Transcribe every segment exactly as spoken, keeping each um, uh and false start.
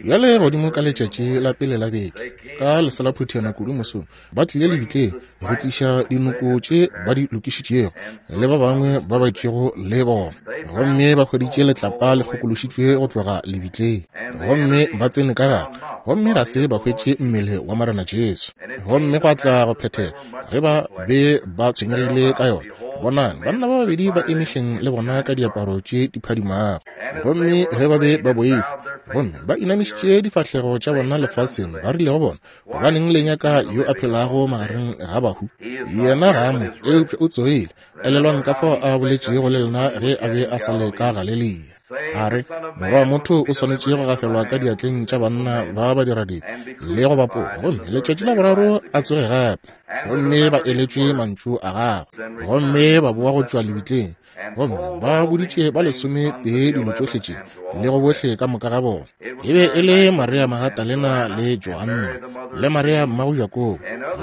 Bjale godimo ka letšatši la pele la beke, ka leselaphuthana kudu mosong, ba tlile lebitleng go tliša dinoko tše ba di lokišitšego le ba bangwe ba ba itšego le bona. Gomme ba hweditše letlapa le kgokološitšwe go tloga lebitleng, gomme ba tsene ka gare, gomme ga se ba hwetše mmele wa Morena Jesu. Gomme gwa tla go phethega ge ba be ba tshwenyegile ka yona, bonang, banna ba babedi ba eme hleng le bona ka diaparo tše di phadimago. Gomme ge ba be ba boifa, gomme ba inamišitše difahlego tša bona lefaseng, ba rile go bona, gobaneng le nyaka yo a phelago magareng ga bahu? Yena ga a mo, eupša o tsogile. Elelwang ka fao a boletšego le lena ge a be a sa le ka Galilea. A re, Morwa wa motho o swanetše go gafelwa ka diatleng tša banna ba badiradibe le go bapola, gomme letšatši la boraro a tsoge gape. Gomme ba eletšwe mantšu a gagwe, gomme ba boa go tšwa lebitleng, gomme ba boditše ba lesome tee dilo tšohle tše le go bohle ka moka ga bona. E be e le Maria Magdalena le Joanna le Maria mmago Jakobo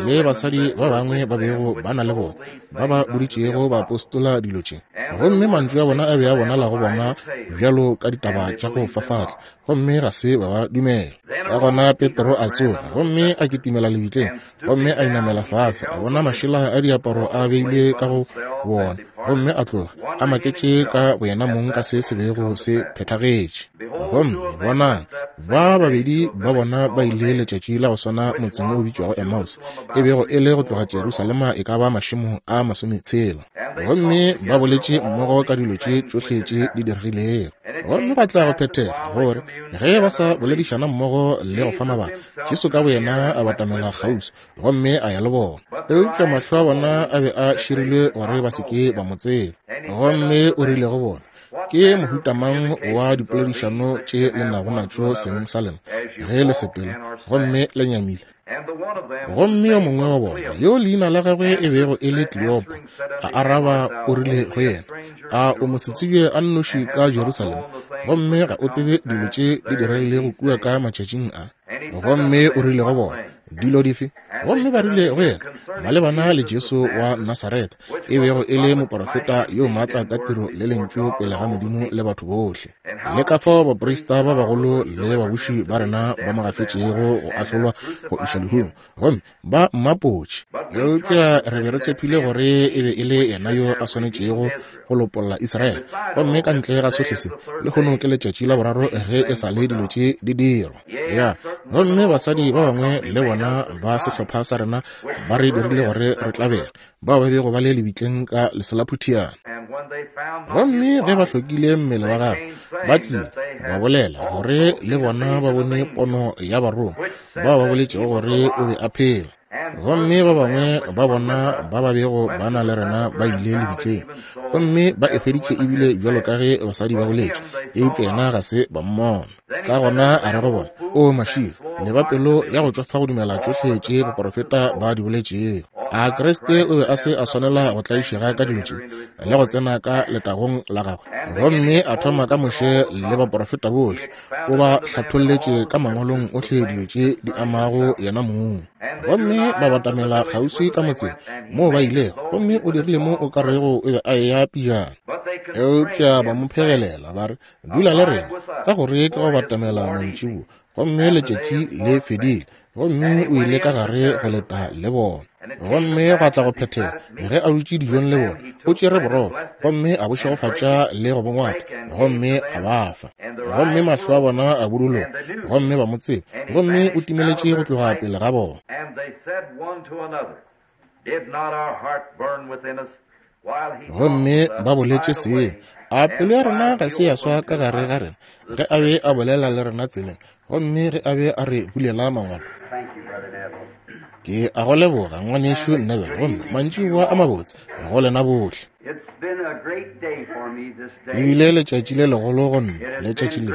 le basadi ba bangwe ba bego ba na le bona, ba ba boditšego baapostola dilo tše. Gomme mantšu a bona a be a bonala go bona bjalo ka ditaba tša go fafatla, gomme ga se ba ba dumela. Ka gona Petro a tsoga, gomme a kitimela lebitleng, gomme a inamela fase, a bona mašela a diaparo a beilwe ka go bona, gomme a tloga a maketše ka boyena mong ka se se bego se phethagetše. Gomme bonang, ba babedi ba bona ba ile letšatši la go swana motseng o bitšwago Emmaus, e bego e le go tloga Jerusalema e ka ba mašemo a masometshela. Gomme ba boletše mmogo ka dilo tše tšohle tše di diregilego. Gomme ba tla go phethega gore ge ba sa boledišana mmogo le go fa mabaka, Jesu ka boyena a batamela kgauswi gomme a ya le bona. Eupša mahlo a bona a be a širilwe gore ba se ke ba mo tseba. Gomme o rile go bona, ke mohuta mang wa dipoledišano tše le nago natšo seng sa lena ge le sepela gomme le nyamile? Gomme yo mongwe wa bona, yo leina la gagwe e bego e le Kleopa, a araba o rile go yena, a o mosetsebje a nnoši ka Jerusalema, gomme ga o tsebe dilo tše di diregilego kua ka matšatšing a? Gomme o rile go bona, dilo dife? Gomme ba rile go yena, malebana le Jesu wa Nasaretha, e bego e le moporofeta yo maatla ka tiro le lentšu pele ga Modimo le batho bohle, le ka fao baprista ba bagolo le babuši ba rena ba mo gafetšego go ahlolwa go iša lehung, gomme ba mmapotše. Eupša re be re tshepile gore e be e le yena yo a swanetšego go lopolla Israele. Gomme ka ntle ga sohle se, lehono ke letšatši la boraro ge e sa le dilo tše di dirwa. Ya, gomme basadi ba bangwe le bona ba sehlopha sa rena ba re dirile gore re tlabele, bao ba bego ba le lebitleng ka leselaphutheana. Gomme ge ba hlokile mmele wa gagwe, ba tlile ba bolela gore le bona ba bone pono ya barongwa bao ba boletšego gore o be a phela. Gomme ba bangwe ba bona ba ba bego ba na le rena ba ile lebitleng, gomme ba e hweditše ebile bjalo ka ge basadi ba boletše, eupša yena ga se ba mmona. Ka gona a re go bona, o mašilo, le ba pelo ya go tšwafa go dumela tšohle tše baporofeta ba di boletšego. A Kriste o be a se a swanela go tlaišega ka dilo tše le go tsena ka letagong la gagwe? Gomme a thoma ka Moshe le baporofeta bohle, o ba hlatholletše ka mangwalong ohle dilo tše di amago yena mong. Gomme ba batamela kgauswi ka motseng moo ba ilego, gomme o dirile mo o ka rego o be a eya pejana. Eupša ba mo phegelela ba re, dula le rena, ka gore ke go batamela mantšiboa, gomme letšatši le fedile. Gomme o ile ka gare go leta le bona. Gomme gwa tla go phethega ge a dutše dijong le bona, o tšere borotho gomme a bo šegofatša le go bo ngwata, gomme a ba fa. Gomme mahlo a bona a buduloga, gomme ba mo tseba, gomme o timeletše go tloga pele ga bona. Gomme ba boletše se, a pelo ya rena ga se ya swa ka gare ga rena ge a be a bolela le rena tseleng, gomme ge a be a re bulela mangwalo? Ke a go leboga ngwanešu Neville, gomme mantšiboa a mabotse go lena bohle. Ebile letšatši le legolo go nna, letšatši le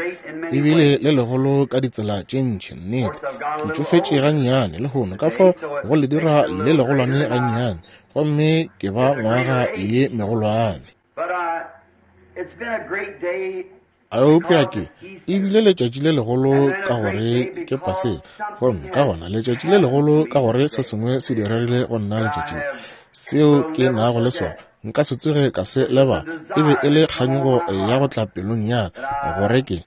ebile le legolo ka ditsela tše ntši. Nnete ke tšofetše gannyane lehono, ka fao go le dira le legolwane gannyane, gomme ke ba ngwaga ye megolwane. Eupša ke ebile letšatši le legolo ka gore ke Paseka, gomme ka gona letšatši le legolo ka gore se sengwe se diregile go nna letšatši le. Seo ke nago le sona nka se tsoge ka se lebala. E be e le kganyogo ya go tla pelong ya ka gore ke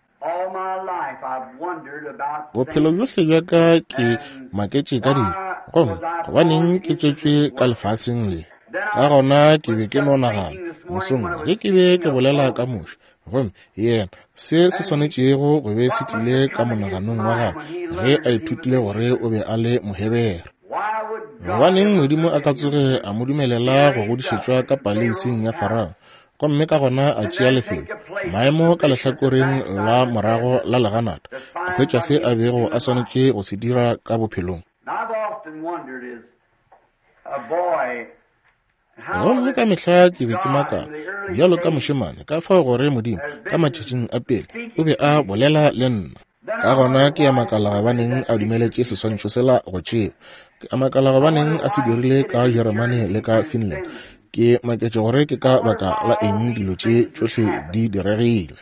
Bophelo bjohle bja ka ke maketše ka dilo, gomme gobaneng ke tswetšwe ka lefaseng le. Ka gona ke be ke no nagana mosong ge ke be ke bolela ka Moshe, gomme yena se se swanetšego go be se tlile ka monaganong wa gagwe ge a ithutile gore o be a le Mohebere. Gobaneng Modimo a ka tsoge a mo dumelela go godišetšwa ka paleising ya Farao, gomme ka gona a tšea lefelo maemo ka lehlakoreng la morago la leganata go hwetša se a bego a swanetše go se dira ka bophelong. Gomme ka mehla ke be ke makala bjalo ka mošemane ka fao gore Modimo ka matšatšing a pele o be a bolela le nna. Ka gona ke a makala gobaneng a dumeletše seswantšho sela go tšewa. Ke a makala gobaneng a se dirile ka Jeremane le ka Finland. Ke maketše gore ke ka baka la eng dilo tše tšohle di diregile.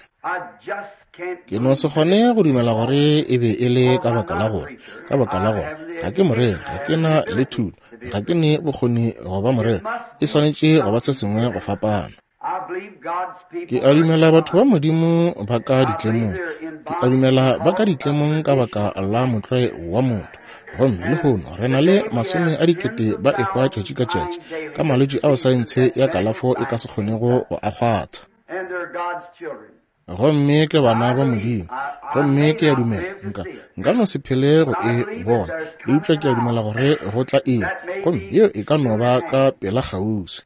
Ke no se kgone go dumela gore e be e le ka baka la gore ka baka la gore ga ke moreri, ga ke na le thuto, ga ke ne bokgoni go ba moreri. E swanetše go ba se sengwe go fapana. Ke a dumela batho ba Modimo ba ka ditlemong. Ke a dumela ba ka ditlemong ka baka la motlwae wa motho. Gomme lehono re na le masome a dikete ba ehwa tšatši ka tšatši ka malwetši ao saense ya kalafo e ka se kgonego go a kgwatha. Gomme ke bana ba Modimo. Gomme ke a dumela nka nka no se phele go e bona, eupša ke a dumela gore go tla eng, gomme yeo e ka no ba ka pela kgauswi.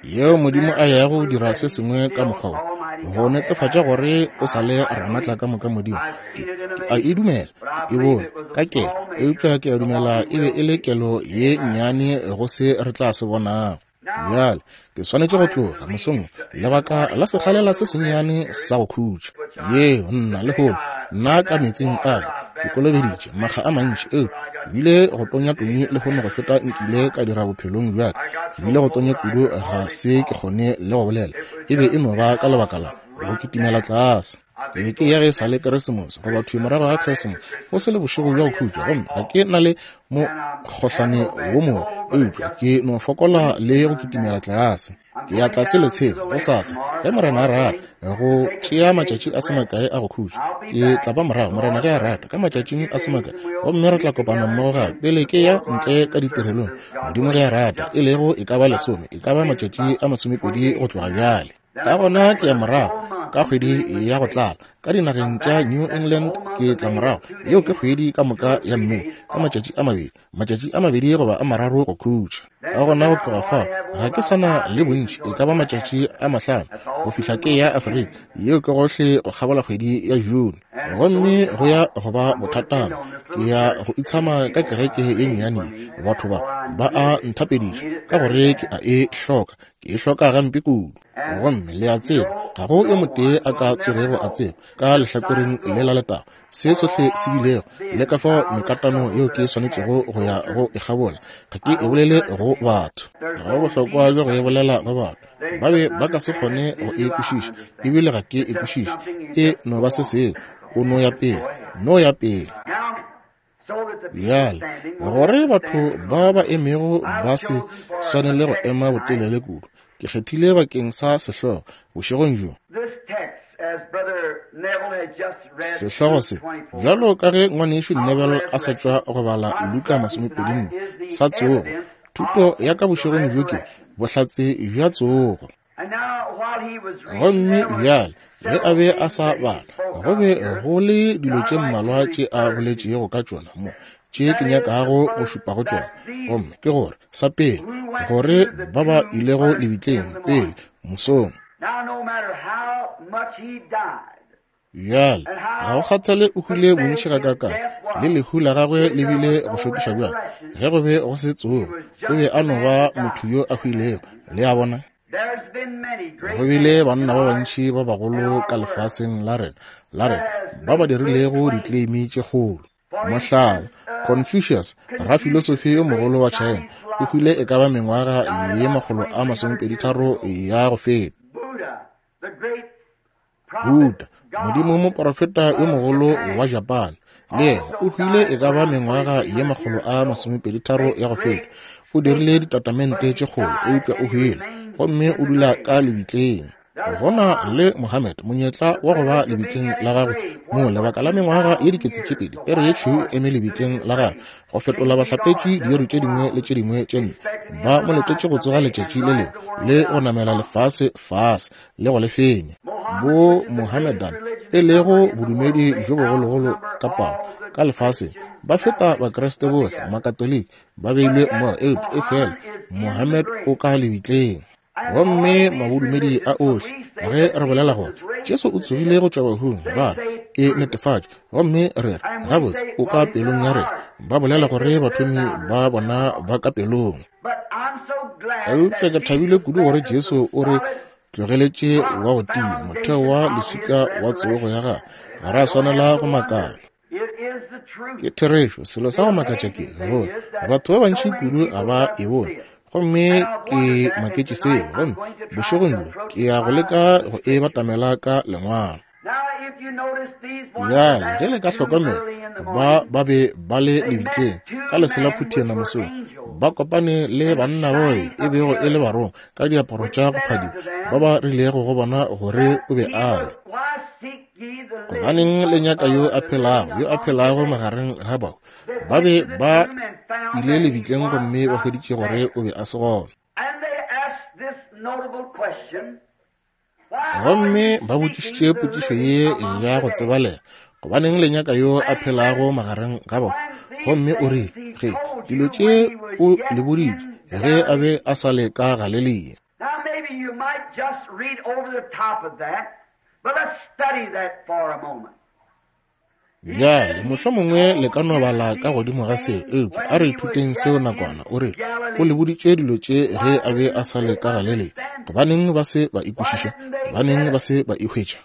Yeo Modimo a yago go dira se sengwe ka mokgwa wo go netefatša gore o sa le ramatla ka moka Modimo. Ke, ke a e dumela, ke e bone ka kelo, eupša ke a dumela e be e le kelo ye nnyane go se re tla se bonago. Bjale ke swanetše go tloga mosong lebaka la sekgalela se sennyane sa go khutša. Yeo nna lehono nna ka metseng a ke kolobeditše makga a mantši, eo ke bile go tonya tonyi lehono go feta nkile ka dira bophelong bja ka. Ke bile go tonya kudu ga se ke kgone le go bolela. E be e no ba ka lebaka la go kitimela tlase. Ke be ke ya ge e sa le Keresemose goba thwi morago ga Keresemose, go se le bošego bja go khutša, gomme ga ke na le mokgohlane wo mongwe, eupša ke no fokola le go kitimela tlase. Ke ya tlase letsheng gosasa ge Morena a rata, go tšea matšatši a se makae a go khutša. Ke tla ba morago Morena ge a rata ka matšatšing a se makae, gomme re tla kopana mmogo gape pele ke ya ntle ka ditirelong, Modimo ge a rata, e lego e ka ba lesome, e ka ba matšatši a masomepedi go tloga bjale. Ka gona ke ya morago ka kgwedi ya go tlala ka dinageng tša New England. Ke tla morago yeo ke kgwedi ka moka ya Mme ka matšatši a mabedi, matšatši a mabedi goba a mararo go khutša. Ka gona go tloga fao ga ke sa na le bontši, e ka ba matšatši a mahlano go fihla ke ya Afrika. Yeo ke gohle go kgabola kgwedi ya June, gomme go ya go ba bothatana. Ke ya go itshama ka kereke ye nnyane. Batho ba ba a nthapediša ka gore ke a e hloka, ke e hloka gampe kudu. Gomme le a tseba ga go yo motee a ka tsogego a tseba ka lehlakoreng le la letago se sohle se bilego le ka fao mekatano yeo ke swanetšego go ya go e kgabola. Ga ke e bolele go batho, ga go bohlokwa bja go e bolela go batho. Ba be ba ka se kgone go e kwešiša, ebile ga ke e kwešiše. E no ba se sengwe, o no ya pele, no ya pele. Bjale gore batho ba ba emego ba se swanele go ema botelele kudu, ke kgethile bakeng sa sehlogo bošegong bjo. Sehlogo se, bjalo ka ge ngwanešu Neville a sa tšwa go bala Luka masomepedi nne sa tsogo, thuto ya ka bošegong bjo ke bohlatse bja tsogo. Gomme bjale ge a be a sa bala, go be go le dilo tše mmalwa tše a boletšego ka tšona mo tše ke nyakago go šupa go tšona. Gomme ke gore sa pele, gore ba ba ilego lebitleng pele mosong. Bjale ga go kgathale o hwile bontši gakaakang, le lehu la gagwe le bile go šokiša bjang, ge go be go se tsogo, o be a no ba motho yo a hwilego. Le a bona? Go bile banna ba bantši ba bagolo ka lefaseng la rena la rena ba ba dirilego ditleimi tše kgolo. Mohlala, Confucius, rafilosofi yo mogolo wa China, o hwile e ka ba mengwaga ye makgolo a masomepedi tharo ya go feta. Buddha, modimo moprofeta yo mogolo wa Japan, le yena o hwile e ka ba mengwaga ye makgolo a masomepedi tharo ya go feta. O dirile ditatamente tše kgolo, eupša o hwile gomme o dula ka lebitleng. Go na le Mohammed monyetla wa go ba lebitleng la gagwe mo lebaka la mengwaga ye dikete tše pedi, pere ye tšhweu eme lebitleng la gagwe go fetola bahlapetši diiri tše dingwe le tše dingwe tše nne. Ba mo letetše go tsoga letšatši le lengwe le go namela lefase fase le go le fenya. Bo Mohammedan e lego bodumedi bjo bogologolo ka palo ka lefaseng, ba feta Bakriste bohle, Makatoliki ba beilwe mmogo, eupša efela Mohammed o ka lebitleng. Gomme mabodumedi a ohle, ge re bolela gore Jesu o tsogile go tšwa bahung, ba re e netefatše, gomme re re gabotse o ka pelong ya rena. Ba bolela gore bathomi ba bona ba ka pelong. Eupša ke thabile kudu gore Jesu o re tlogeletše wa go tia motheo wa leswika wa tsogo ya gagwe. Ga ra swanela go makala. Ke therešo. Selo sa go makatša ke gore batho ba bantši kudu ga ba e bone, gomme ke maketše seo. Gomme bošegong bjo ke ya go leka go e batamela ka lengwalo. Bjale ge le ka hlokomela, ba ba be ba le lebitleng ka leselaphutiana mosong, ba kopane le banna bao e bego e le barongwa ka diaparo tša go phadima, ba ba rilego go bona gore o be a le. Gobaneng le nyaka yo a phelago, yo a phelago magareng ga bao? Ba be ba ile lebitleng gomme ba hweditše gore o be a se gona. Gomme ba botšišitše potšišo ye ya go tsebalega, gobaneng le nyaka yo a phelago magareng ga bao? Gomme o rile, ge dilo tše o le boditše ge a be a sa le ka Galelia. Bjale mohlomongwe le ka no bala ka godimo ga seo, eupša a re ithuteng seo nakwana. O rile o le boditše dilo tše ge a be a sa le ka Galelia. Gobaneng ba se ba ikwešiša? Gobaneng ba se ba e hwetša?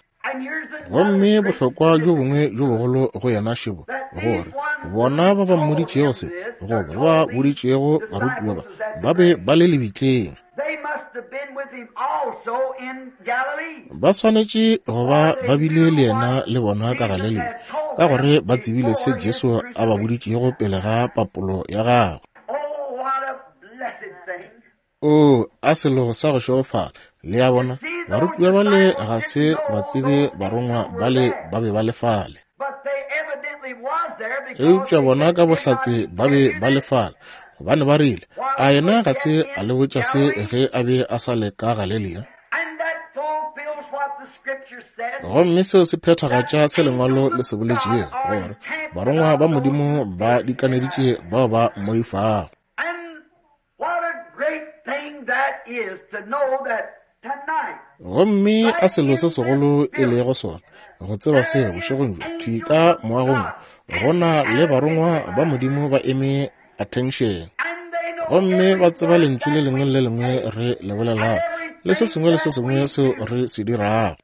Gomme bohlokwa bjo bongwe bjo bogolo go yena šebo, gore bona ba ba mmoditšego se, goba ba ba boditšego barutiwa ba, ba be ba le lebitleng. Ba swanetše go ba ba bile le yena le bona ka Galelia, ka gore ba tsebile se Jesu a ba boditšego pele ga papolo ya gagwe. O a selo sa go šegofala. Le a bona, barutiwa bale ga se ba tsebe barongwa bale ba be ba le fale. Eupša bona ka bohlatse ba be ba le fale, gobane ba rile, a yena ga se a le botša se ge a be a sa le ka Galelia? Gomme seo se phethagatša se lengwalo le se boletšego, gore barongwa ba Modimo ba dikaneditše bao ba mmoifago. Gomme a selo se segolo e lego sona go tseba seo bošegong bjo, thwi ka moagong go na le barongwa ba Modimo ba eme attention, gomme ba tseba lentšu le lengwe le lengwe re le bolelago le se sengwe le se sengwe seo re se dirago.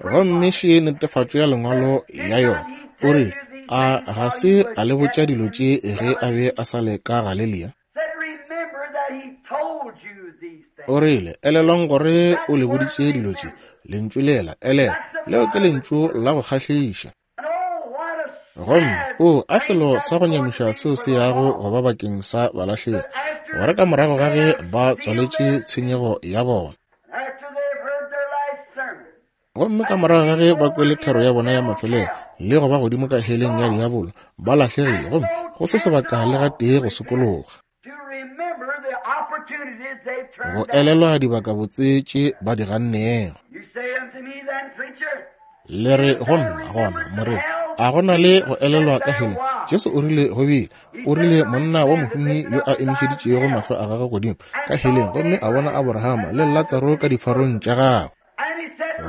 Gomme še netefatšo ya lengwalo ya yona. O re a ga se a le botša dilo tše ge a be a sa le ka Galelia? O rile, elelwang gore o le boditše dilo tše. Lentšu lela, elela, leo ke lentšu la go kgahliša. Gomme o a selo sa go nyamiša seo se yago go ba bakeng sa balahlegi, gore ka morago ga ge ba tswaletše tshenyego ya bona, gomme ka morago ga ge ba kwele thero ya bona ya mafelelo le go ba godimo ka heleng ya diabolo, ba lahlegile, gomme go se sebaka le gatee go sokologa, go elelwa dibakabotse tše ba di gannego. Le re go nna gona, moreri, a go na le go elelwa ka heleng? Jesu o rile go bile. O rile monna wa mohumi yo a emišeditšego mahlo a gagwe godimo ka heleng, gomme a bona Aborahama le Latsaro ka difarong tša gagwe.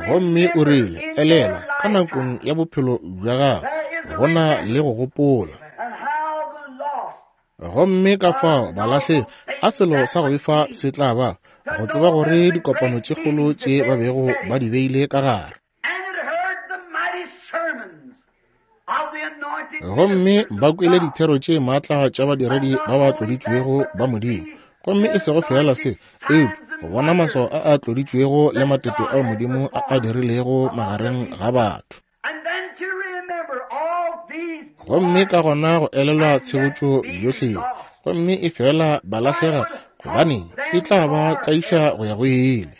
Gomme o rile, elelwa ka nakong ya bophelo bja gago go na le go gopola. Gomme ka fao balahlegi, a selo sa go befa se tla ba go tseba gore dikopano tše kgolo tše ba bego ba di beile ka gare, gomme ba kwele dithero tše maatla tša badiredi ba ba tloditšwego ba Modimo, gomme e sego fela se, eupša go bona maswao a a tloditšwego le matete ao Modimo a a dirilego magareng ga batho. Gomme ka gona go elelwa tshebotšo yohle ye, gomme e fela ba lahlega, gobane e tla ba tlaiša go ya go ile.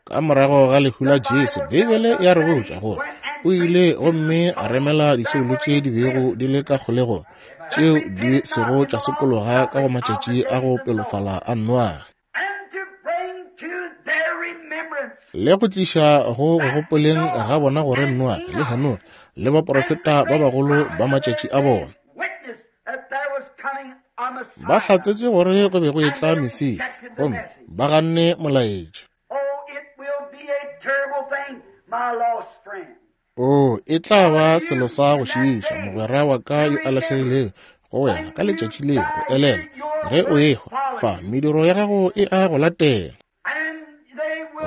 Ka morago ga lehu la Jesu, Beibele ya re botša gore o ile gomme a remela disoulo tše di bego di le ka kgolegong, tšeo di sego tša sokologa ka go matšatši a go pelofala a Noage, le go tliša go go gopoleng ga bona gore Noage le Henoge le baprofeta ba bagolo ba matšatši a bona ba hlatsetše gore go be go etla Mesia, gomme ba ganne molaetša. O, e tla ba selo sa go šiiša, mogwera wa ka yo a lahlegilego, go wena ka letšatši le go elela ge o ehwa fa, mediro ya gago e a go latela,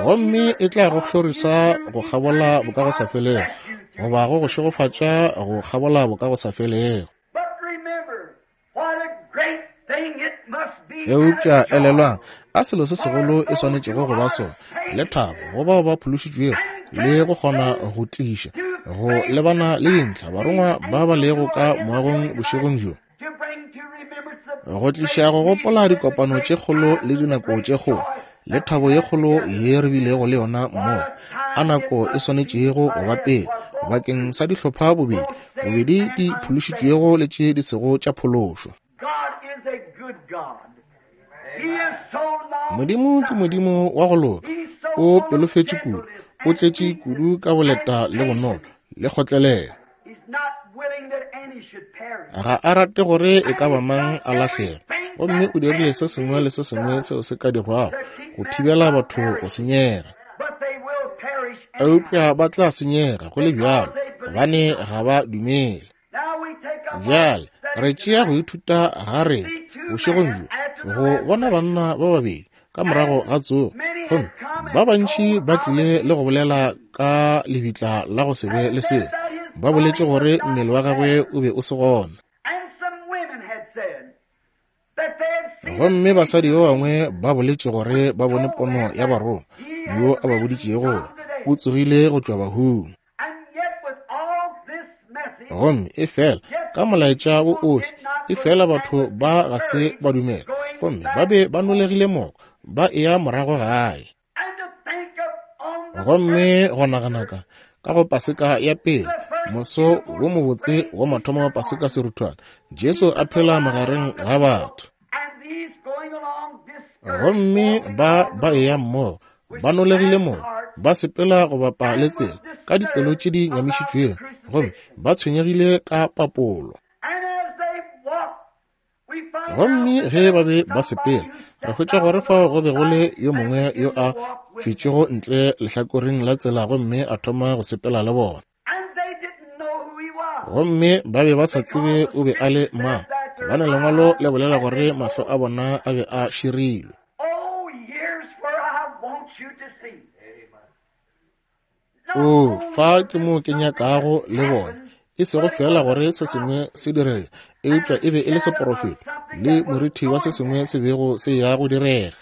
gomme e tla go hlorisa go kgabola bokagosafelego, goba go go šegofatša go kgabola bokagosafelego. Eupša elelwang, a selo se segolo e swanetšego go ba sona, le thabo go bao ba phološitšwego, le go kgona go tliša go lebana le dintlha barongwa ba ba lego ka moagong bošegong bjo, go tliša go gopola dikopano tše kgolo le dinako tše kgolo le thabo ye kgolo ye re bilego le yona mmogo. A nako e swanetšego go ba pele bakeng sa dihlopha bobedi, bobedi di phološitšwego le tše di sego tša phološwa. Modimo ke Modimo wa go loka, o pelofetše kudu, o tletše kudu ka boleta le bonolo le kgotlelelo. Ga a rate gore e ka ba mang a lahlege, gomme o dirile se sengwe le se sengwe seo se ka dirwago go thibela batho go senyega. Eupša ba tla senyega go le bjalo, gobane ga ba dumele. Bjale re tšea go ithuta ga rena bošegong bjo go bona banna ba babedi ka morago ga tsogo, gomme ba bantši ba tlile le go bolela ka lebitla la go se be le selo. Ba boletše gore mmele wa gagwe o be o se gona. Gomme basadi ba bangwe ba boletše gore ba bone pono ya barongwa yo a ba boditšego gore o tsogile go tšwa bahung. Gomme e fela ka molaetša wo ohle, e fela batho ba ga se ba dumela, gomme ba be ba nolegile moko, ba eya morago gae. Gomme go nagana ka ka go Paseka ya pele, moso wo mobotse wa mathomo wa Paseka seruthwane, Jesu a phela magareng ga batho. Gomme ba ba eya mmogo, ba nolegile moko, ba sepela go bapa le tsela ka dipelo tše di nyamišitšwego, gomme ba tshwenyegile ka papolo. Gomme ge ba be ba sepela, re hwetša gore fao go be go le yo mongwe yo a tšwetšego ntle lehlakoreng la tsela gomme a thoma go sepela le bona. Gomme ba be ba sa tsebe o be a le mang, gobane lengwalo le bolela gore mahlo a bona a be a širilwe. O, fa ke mo ke nyakago le bona, e sego fela gore se sengwe se direge, eupša e be e le seporofeto le morithi wa se sengwe se bego se ya go direga.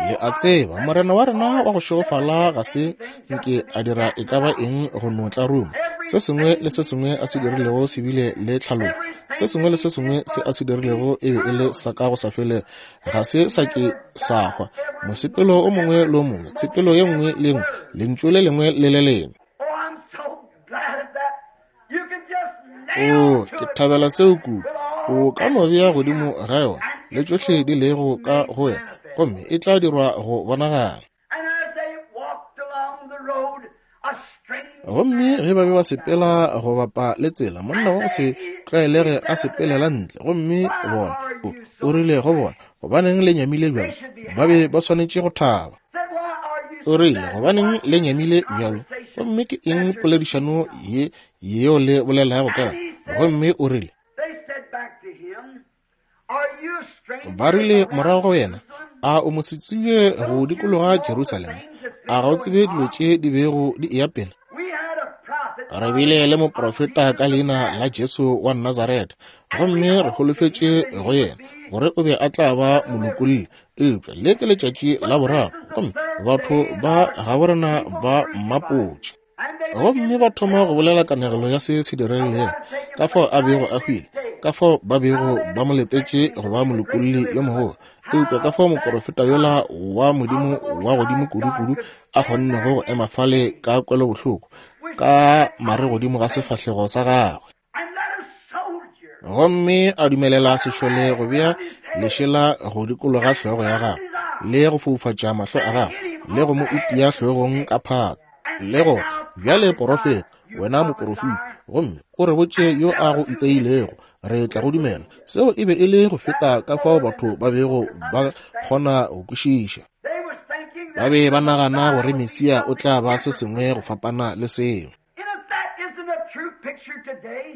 Le a tseba, Morena wa rena wa go šegofala ga se nke a dira e ka ba eng go no tla ruma. Se sengwe le se sengwe a se dirilego se bile le tlhaloso. Se sengwe le se sengwe se a se dirilego e be e le sa ka go sa felego, ga se sa ke sa hwa. Mosepelo o mongwe le o mongwe, tshepelo ye nngwe le nngwe, lentšu le lengwe le le lengwe. O, ke thabela seo kudu. O ka no bea godimo ga yona le tšohle di lego ka go yona, gomme e tla dirwa go bonagala. Gomme ge ba be ba sepela go bapa le tsela, monna wa go se tlwaelege a sepelela ntle, gomme bona o, o rile go bona, gobaneng le nyamile bjalo? Ba be ba swanetše go thaba. O rile, gobaneng le nyamile bjalo? Gomme ke eng poledišano ye yeo le bolelago ka yona? Gomme o rile, ba rile morago go yena, a o mosetsebje go dikologa Jerusalema? A ga o tsebe dilo tše di bego di eya pele? Re bile le moprofeta ka leina la Jesu wa Nazareta, gomme re holofetše go yena gore o be a tla ba molokolli. Eupša le ke letšatši la boraro, gomme batho ba gaborena ba mmapotše. Gomme ba thoma go bolela kanegelo ya se se diregilego, ka fao a bego a hwile, Ka fao ba bego ba mo letetše go ba molokolli yo mogolo, eupša ka fao moprofeta yola wa Modimo wa godimo kudu-kudu a kgonnego go ema fale ka kwelobohloko, ka mare godimo ga sefahlego sa gagwe, gomme a dumelela sešole go bea lešela go dikologa hlogo ya gagwe, le go foufatša mahlo a gagwe, le go mo itia hlogong ka phata, le gore, bjale porofeta, wena moporofeta, gomme o re botše yo a go iteilego, re tla go dumela. Seo e be e le go feta ka fao batho ba bego ba kgona go kwešiša. Ba be ba nagana gore Mesia o tla ba se sengwe go fapana le seo.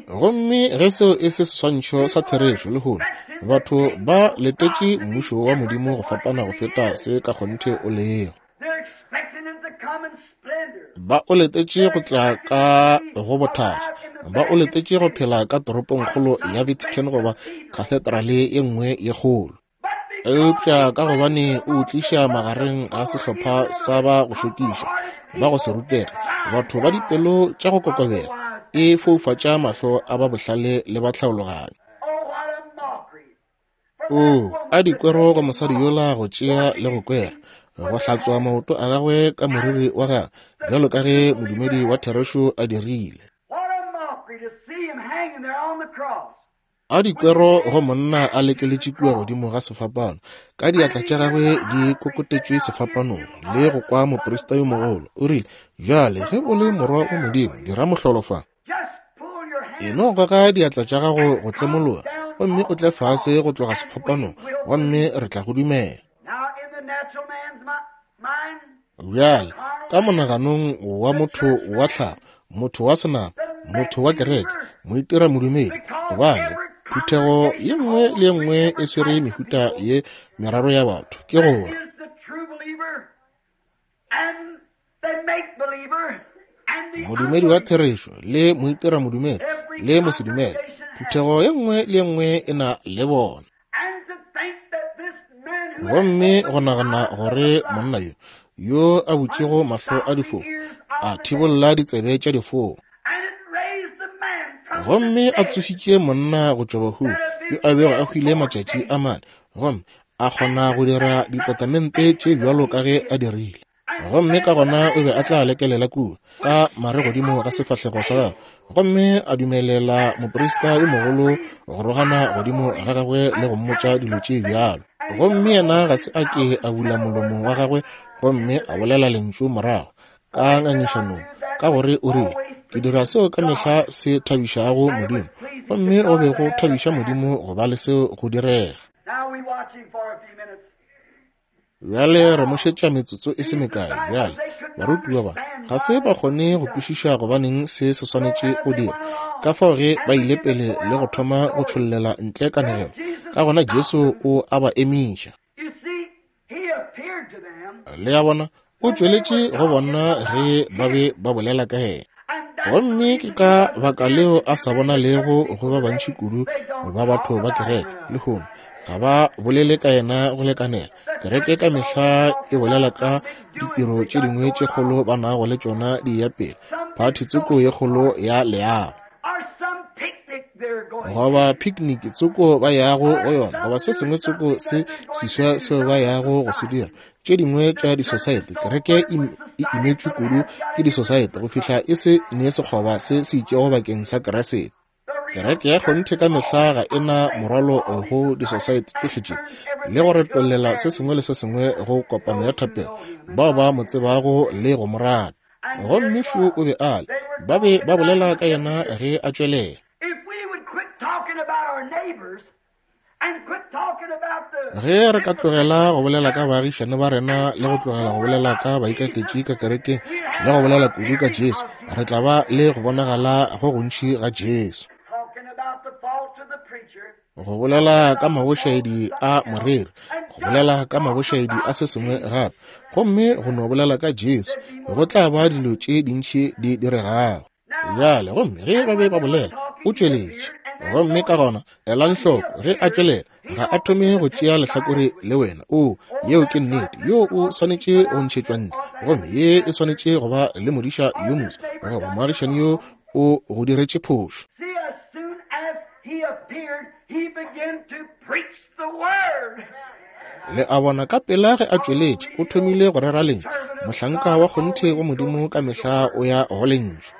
Gomme ge seo e se seswantšho sa therešo lehono, batho ba letetše mmušo wa Modimo go fapana go feta se ka kgonthe o lego. Ba o letetše go tla ka go bothakga, ba o letetše go phela ka toropongkgolo ya Vatican goba kathedrale ye nngwe ye kgolo. Eupša ka gobane o tliša magareng ga sehlopha sa ba go šokiša, ba go se rutege, batho ba dipelo tša go kokobela, e foufatša mahlo a ba bohlale le ba tlhaologanyo. O a dikwero go mosadi yola go tšea le go kwera, go hlatswa maoto a gagwe ka moriri wa gagwe, bjalo ka ge modumedi wa therešo a dirile. A dikwero go monna a lekeletše kua godimo ga sefapano, ka diatla tša gagwe di kokotetšwe sefapanong, le go kwa moprista yo mogolo. O rile, bjale ge o le morwa wa Modimo, dira mohlolo fa. E no goga diatla tša gago go tlemologa, gomme o tle fase go tloga sefapanong, gomme re tla go dumela. Bjale, ka monaganong wa motho wa tlhago, motho wa senama, motho wa kereke, moitira modumedi, gobane phuthego ye nngwe le ye nngwe e swere mehuta ye meraro ya batho, ke gore modumedi wa therešo le moitira modumedi le mosedumele. Phuthego ye nngwe le ye nngwe e na le bona. Gomme go nagana gore monna yo yo a butšego mahlo a difofu, a thibolla ditsebe tša difofu, gomme a tsošitše monna go tšwa bahung yo a bego a hwile matšatši a mane, gomme a kgona go dira ditatamente tše bjalo ka ge a dirile. Gomme ka gona o be a tla lekelela kua ka mare godimo ga sefahlego sa gagwe, gomme a dumelela moprista yo mogolo go rogana godimo ga gagwe le go mmotša dilo tše bjalo. Gomme yena ga se a ke a bula molomo wa gagwe gomme a bolela lentšu morago ka ngangišanong, ka gore o rile, ke dira seo ka mehla se thabišago Modimo, gomme go be go thabiša Modimo go ba le seo go direga. Bjale re mo šetša metsotso e se mekae. Bjale barutiwa ba ga se ba kgone go kwešiša gobaneng se se swanetše go dira. Ka fao ge ba ile pele le go thoma go tšhollela ntle kanegelo, ka gona Jesu o a ba emiša. Le a bona, o tšweletše go bona ge ba be ba bolela ka yena. Gomme ke ka baka leo a sa bonalego go ba bantši kudu ba batho ba kereke lehono. Ga ba bolele ka yena go lekanela. Kereke ka mehla e bolela ka ditiro tše dingwe tše kgolo ba nago le tšona di ya pele, phathi tsoko ye kgolo ya leago, goba picnic tsoko ba yago go yona, goba se sengwe tsoko se seswa seo ba yago go se dira. Tše dingwe tša di-society, kereke e imetšwe kudu ke di-society go fihla e se ne sekgoba se se itšego bakeng sa Keresete. Kereke ya kgonthe ka mehla ga e na morwalo go di-society tšohle tše, le go retollela se sengwe le se sengwe go kopano ya thapelo, bao ba mo tsebago le go mo rata. Gomme fu o be a le, ba be ba bolela ka yena ge a tšwelela. Ge re ka tlogela go bolela ka baagišane ba rena le go tlogela go bolela ka baikaketši ka kerekeng le go bolela kudu ka Jesu, re tla ba le go bonagala go gontši ga Jesu. Go bolela ka mabošaedi a moreri, go bolela ka mabošaedi a se sengwe gape, gomme go no bolela ka Jesu, go tla ba dilo tše dintši di diregago. Bjale gomme ge ba be ba bolela, o tšweletše. Gomme ka gona elang hloko ge a tšwelela, ga a thome go tšea lehlakore le wena. O, yeo ke nnete, yo o swanetše go ntšhetšwa ntle, gomme ye e swanetše go ba le modiša yo moswa goba moagišani yo o go diretše phošo. Le a bona, ka pela ge a tšweletše, o thomile go rera lentšu. Mohlanka wa kgonthe wa Modimo ka mehla o ya go lentšu.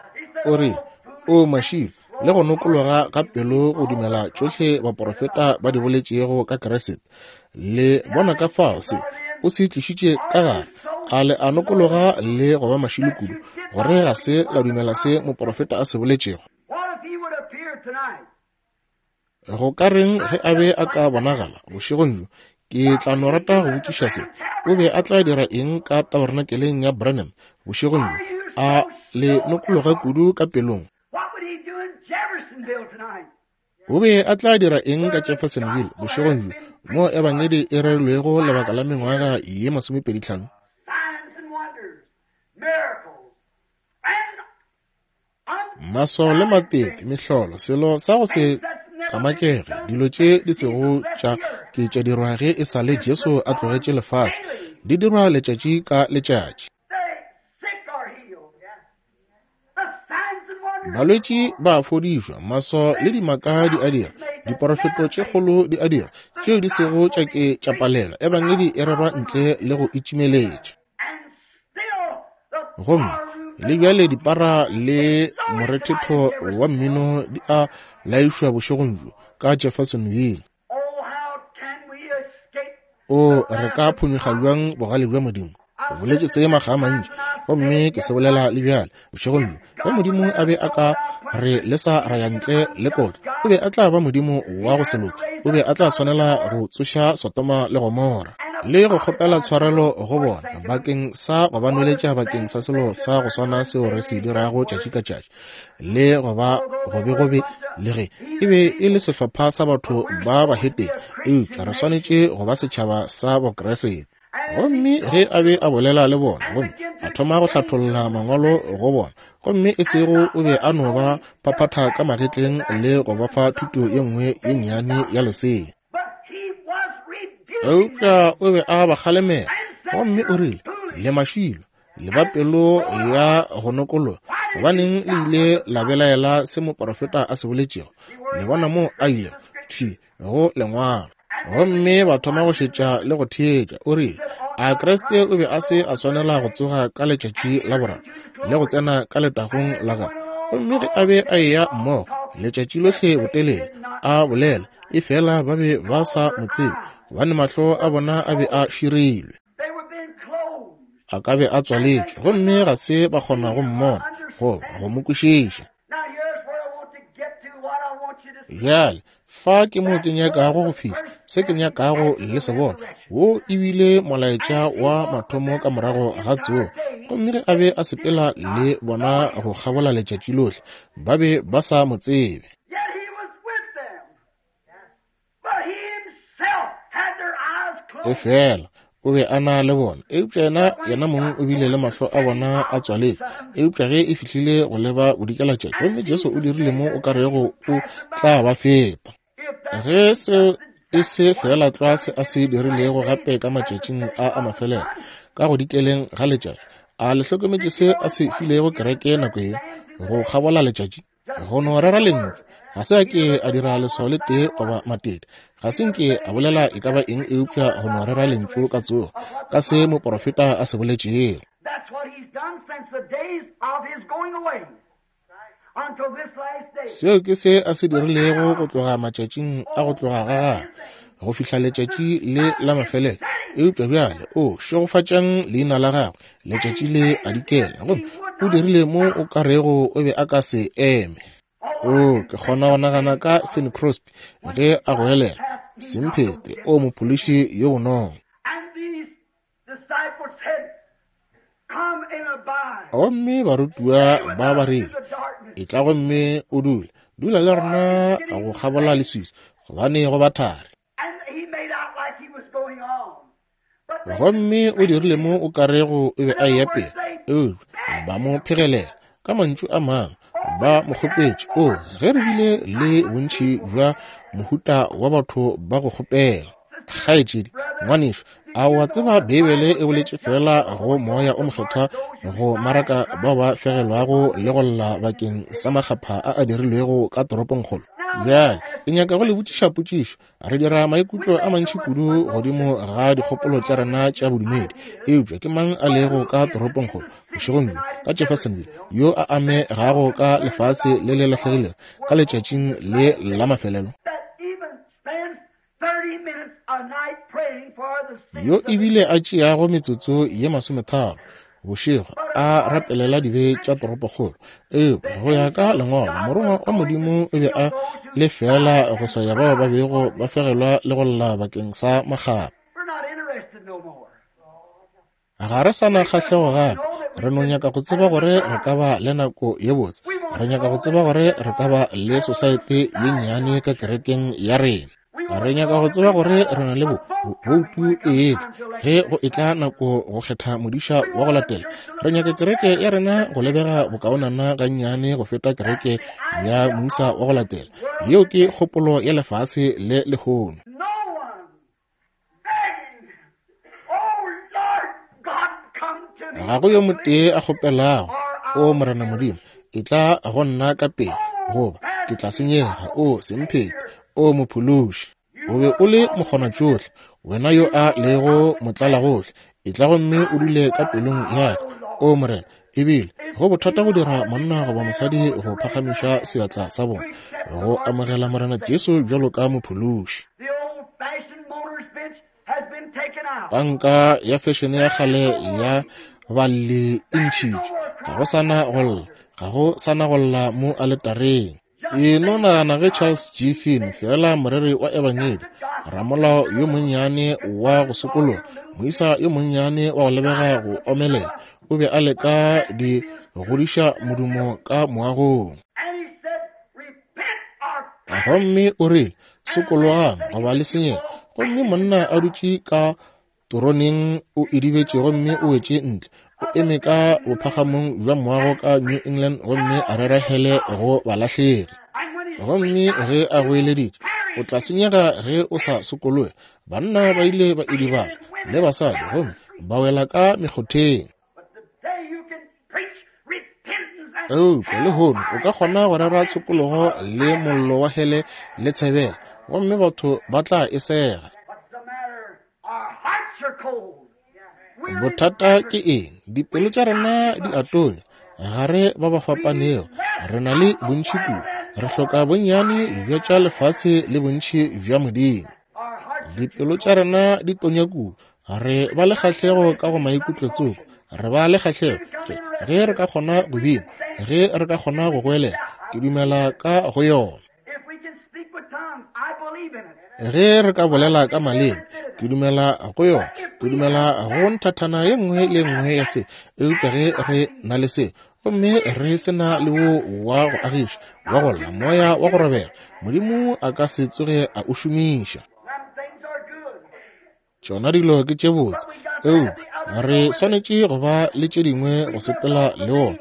O rile, o mašilo le go nokologa ga pelo go dumela tšohle baprofeta ba di boletšego ka Kriste. Le bona ka fao se o se tlišitše ka gare. A le a nokologa le go ba mašilo kudu gore ga se la dumela se moprofeta a se boletšego? Go ka reng ge a be a ka bonagala bošegong bjo? Ke tla no rata go botšiša se. O be a tla dira eng ka tabernakeleng ya Branham bošegong bjo? A le nokologa kudu ka pelong? O be a tla dira eng ka Jeffersonville bošegong bjo, mo ebangedi e rerilwego lebaka la mengwaga ye masomepedi hlano? Maswao le matete, mehlolo, selo sa go se kamakege, dilo tše di sego tša ke tša dirwa ge e sa le Jesu a tlogetše lefase, di dirwa letšatši ka letšatši. Balwetši ba fodišwa, maswao le dimaka di a dira, diporofeto tše kgolo di a dira, tšeo di sego tša ke tša palelwa. Ebangedi e rerwa ntle le go itšimeletša. Gomme le bjale dipara le morethetho wa mmino di a laišwa bošegong bjo ka Jeffersonville. O re ka phonyokga bjang bogale bja Modimo? Ke boletše se makga a mantši, gomme ke se bolela le bjale bošegong bjo. Ge Modimo a be a ka re lesa ra ya ntle le kotlo, o be a tla ba Modimo wa go se loke. O be a tla swanela go tsoša Sodoma le Gomora le go kgopela tshwarelo go bona bakeng sa go ba nweletša bakeng sa selo sa go swana seo re se dirago tšatši ka tšatši, le go ba gobegobe le ge e be e le sehlopha sa batho ba bahetene, eupša re swanetše go ba setšhaba sa Bokriste. Gomme ge a be a bolela le bona, gomme a thoma go hlatholla mangwalo go bona, gomme e sego o be a no ba phaphatha ka magetleng le go ba fa thuto ye nngwe ye nnyane ya lesea, eupša o be a ba kgalemela. Gomme o rile, le mašilo, le ba pelo ya go nokologa, gobaneng le ile la belaela se moprofeta a se boletšego? Le bona mo a ilego thwi go lengwalo. Gomme ba thoma go šetša le go theetša. O rile, a Kriste o be a se a swanela go tsoga ka letšatši la boraro le go tsena ka letagong la gagwe? Gomme ge a be a eya mmogo letšatši lohle botelele a bolela, efela ba be ba sa mo tsebe, gobane mahlo a bona a be a širilwe, a ka be a tswaletšwe, gomme ga se ba kgona go mmona goba go mo kwešiša. Bjale fa ke mo ke nyakago go fihla, se ke nyakago le se bona. Wo ebile molaetša wa mathomo ka morago ga tsogo. Gomme ge a be a sepela le bona go kgabola letšatši lohle, ba be ba sa mo tsebe. Efela o be a na le bona, eupša yena yena mong o bile le mahlo a bona a tswaletšwe. Eupša ge e fihlile go leba bodikelatšatši, gomme Jesu o dirile mo o ka rego o tla ba feta. Ge seo e se fela tlwa se a se dirilego gape ka matšatšing a a mafelelo ka go dikeleng ga letšatši, a le hlokometše se a se filego kereke nako ye go kgabola letšatši? Go no rera lentšu. Ga se a ke a dira leswao le tee goba matete, ga se nke a bolela e ka ba eng eupša go no rera lentšu ka tsogo, ka se moprofeta a se boletšego. Seo ke se a se dirilego go tloga matšatšing a go tloga ga gagwe go fihla letšatši le la mafelelo. Eupša bjale o šegofatšang leina la gagwe, letšatši le a dikela, gomme o dirile mo o ka rego o be a ka se eme. O ke kgona go nagana ka Fanny Crosby ge a goelela, semphete o mophološi yo bonolo. Gomme barutiwa ba ba rile, etla gomme o dule, dula le rena go kgabola leswiswi, gobane go ba thari. Gomme o dirile mo o ka rego o be a eya pele, eupša ba mo phegelela. Ka mantšu a mangwe ba mo kgopetše. O ge re bile le bontši bja mohuta wa batho ba go kgopela. Kgaetšedi, ngwanešu, a wa tseba Beibele e boletše fela go moya o mokgethwa go maraka bao ba fegelwago le go lla bakeng sa makgapha a a dirilwego ka toropongkgolo? Bjale ke nyaka go le botšiša potšišo. Re dira maikutlo a mantši kudu godimo ga dikgopolo tša rena tša bodumedi, eupša ke mang a lego ka toropongkgolo bošegong bjo ka Jeffersonville yo a amegago ka lefase le le lahlegilego ka letšatšing le la mafelelo, yo ebile a tšeago metsotso ye masometharo bošego a rapelela dibe tša toropokgolo? Eupša go ya ka lengwalo, morongwa wa Modimo o be a le fela go swaya bao ba bego ba fegelwa le go lla bakeng sa makgapa. Ga re sa na kgahlego gape. Re no nyaka go tseba gore re ka ba le nako ye botse. Re nyaka go tseba gore re ka ba le sosaete ye nnyane ka kerekeng ya rena. Re nyaka go tseba gore re na le boutu e etla ge go etla nako go kgetha modiša wa go latela. Re nyaka kereke ya rena go lebega bokaonana gannyane go feta kereke ya moisa wa go latela. Yeo ke kgopolo ya lefase le lehono. Ga go yo motee a kgopelago, o Morena Modimo, etla go nna ka pele, goba ke tla senyega. O semphete, o mophološi, o be o le mokgonatšohle, wena yo a lego motlalagohle, etla gomme o dule ka pelong ya ka, o Morena. Ebile go bothata go dira monna goba mosadi go phagamiša seatla sa bona go amogela Morena Jesu bjalo ka mophološi. Panka ya fešene ya kgale ya balli e ntšhitšwe. Ga go sana go lla, ga go sana go lla mo aletareng. E no nagana ge Charles G. Finney, fela moreri wa ebangedi, ramolao yo monnyane wa go sokologa, moisa yo monnyane wa go lebega go omelela, o be a leka di godiša modumo ka moagong. Gomme o rile, sokologang goba le senyega. Gomme monna a dutše ka toroneng o idibetše gomme o wetše ntle. O eme ka bophagamong bja moago ka New England gomme a rera hele go balahlegi. Gomme ge a goeleditše, o tla senyega ge o sa sokologe, banna ba ile ba idibala le basadi gomme ba wela ka mekgotheng. Eupša lehono o ka kgona go rera tshokologo le mollo wa hele le tshebela, gomme batho ba tla e sega. Bothata ke eng? Dipelo tša rena di a tonya. Ga re ba ba fapanego. Re na le bontši kudu. Re hloka bonnyane bja tša lefase le bontši bja Modimo. Dipelo tša rena di tonya kudu. Re ba le kgahlego ka go maikutlo tsoko. Re ba le kgahlego ge re ka kgona go bina, ge re ka kgona go goelela. Ke dumela ka go yona. Ge re ka bolela ka maleme, ke dumela go yona. Ke dumela go nthathana ye nngwe le nngwe ya se. Eupša ge re na le se, gomme re se na le wo wa go agiša, wa go lla, moya wa go robega, Modimo a ka se tsoge a o šomiša. Tšona dilo ke tše botse, eupša re swanetše go ba le tše dingwe go sepela le ona.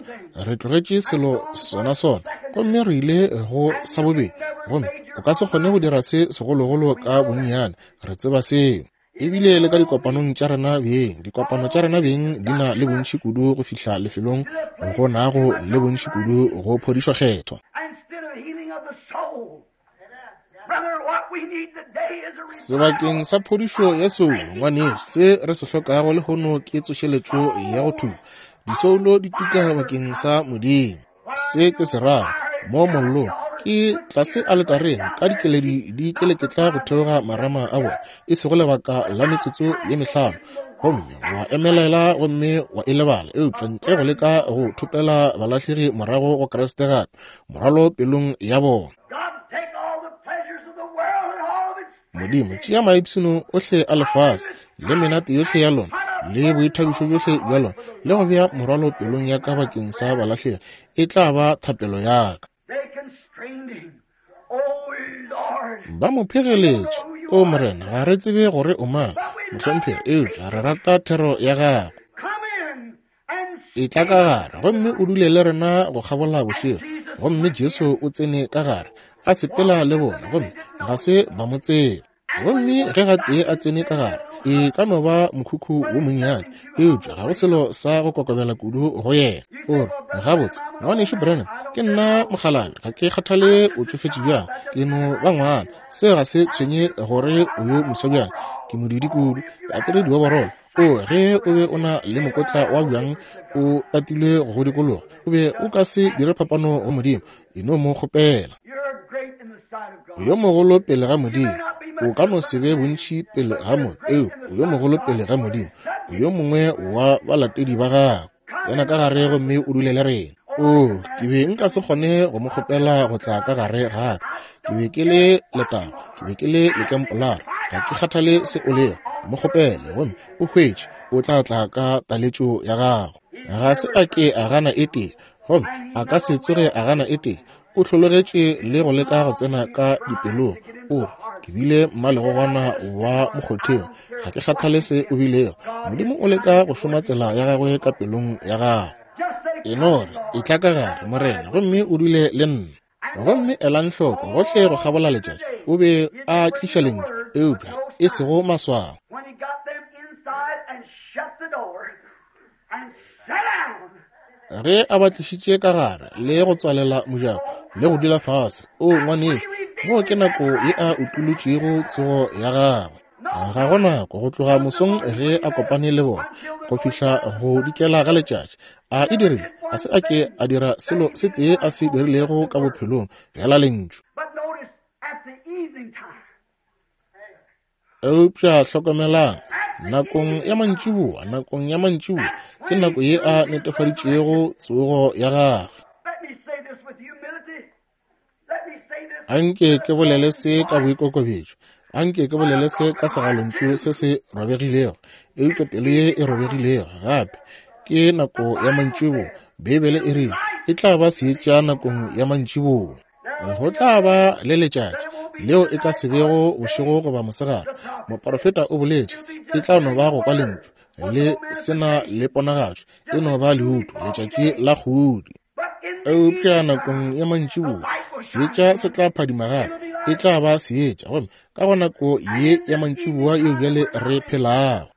Re tlogetše selo sona sona, gomme re ile go sa bobedi, gomme o ka se kgone go dira se segologolo ka bonnyane. Re tseba seo. Ebile le ka dikopanong tša rena beng, dikopano tša rena beng di na le bontši kudu go fihla lefelong go nago le bontši kudu go phodišo kgethwa. Sebakeng sa phodišo ya soulo, ngwanešu, se re se hlokago lehono ke tsošeletšo ya go thuba disoulo di tuka bakeng sa Modimo. Se ke se rago mo mollong ke tlase aletareng ka dikeledi di keleketla go theoga marama a bona, e sego lebaka la metsotso ye mehlano, gomme wa emelela gomme wa e lebala, eupša ntle go leka go thopela balahlegi morago go Kriste gape, morwalo pelong ya bona. Modimo, tšea maipshino ohle a lefase le menate yohle ya lona le boithabišo bjohle bja lona, le go bea morwalo pelong ya ka bakeng sa balahlegi, e tla ba thapelo ya ka. Ba mo phegeletše, o Morena, ga re tsebe gore o mang, mohlomphegi, eupša re rata thero ya gago. Etla ka gare gomme o dule le rena go kgabola bošego. Gomme Jesu o tsene ka gare, a sepela le bona, gomme ga se ba mo tseba. Gomme ge gatee a tsene ka gare, E ka no ba mokhukhu wo monnyane, eupša ga go selo sa go kokobela kudu go yena. O re, gabotse, ngwanešu Branham, ke nna mokgalabje, ga ke kgathale o tšofetše bjang, ke no ba ngwana. Seo ga se tshwenye gore o yo moswa bjang, ke modidi kudu, ke apere dioborolo. O, ge o be o na le mokotla wa bjang o tatilwe go dikologa, o be o ka se dire phapano go Modimo. E no mo kgopela. O yo mogolo pele ga Modimo. O ka no se be bontši pele ga motho, eupša o yo mogolo pele ga Modimo. O yo mongwe wa balatedi ba gagwe. Tsena ka gare gomme o dule le rena. O, ke be nka se kgone go mo kgopela go tla ka gare ga ka. Ke be ke le letago, ke be ke le lekempolara. Ga ke kgathale se o lego. Mo kgopele gomme o hwetše o tla tla ka taletšo ya gago. Ga se a ke a gana e tee, gomme a ka se tsoge a gana e tee. O hlologetše le go leka go tsena ka dipelong. O re, ke bile mmalegogwana wa mokgotheng, ga ke kgathale se o bilego. Modimo o leka go šoma tsela ya gagwe ka pelong ya gago. E no re, etla ka gare, Morena, gomme o dule le nna. Gomme elang hloko, gohle go kgabola letšatši o be a tliša lentšu, eupša e sego maswao. Ge a ba tlišitše ka gare le go tswalela mojako le go dula fase, o ngwanešu, moo ke nako ye a utolotšego tsogo ya gagwe. Ga go nako go tloga mosong ge a kopane le bona go fihla go dikela ga letšatši. A e dirile, a se a ke a dira selo se tee a se dirilego ka bophelong, fela lentšu. Eupša hlokomelang, nakong ya mantšiboa, nakong ya mantšiboa ke nako ye a netefaditšego tsogo ya gagwe. Anke ke bolele se ka boikokobetšo, anke ke bolele se ka segalontšu se se robegilego, eupša pelo ye e robegilego. Gape ke nako ya mantšiboa. Beibele e rile e tla ba seetša nakong ya mantšiboa. Go tla ba le letšatši leo e ka se bego bošego goba mosegare. Moporofeta o boletše, e tla no ba go kwa lentšu le sena le ponagatšo, e no ba leuto, letšatši la kgodi. Eupša nakong ya mantšiboa seetša se tla phadima gape, e tla ba seetša. Gomme ka go nako ye ya mantšiboa yeo bjale re phelago,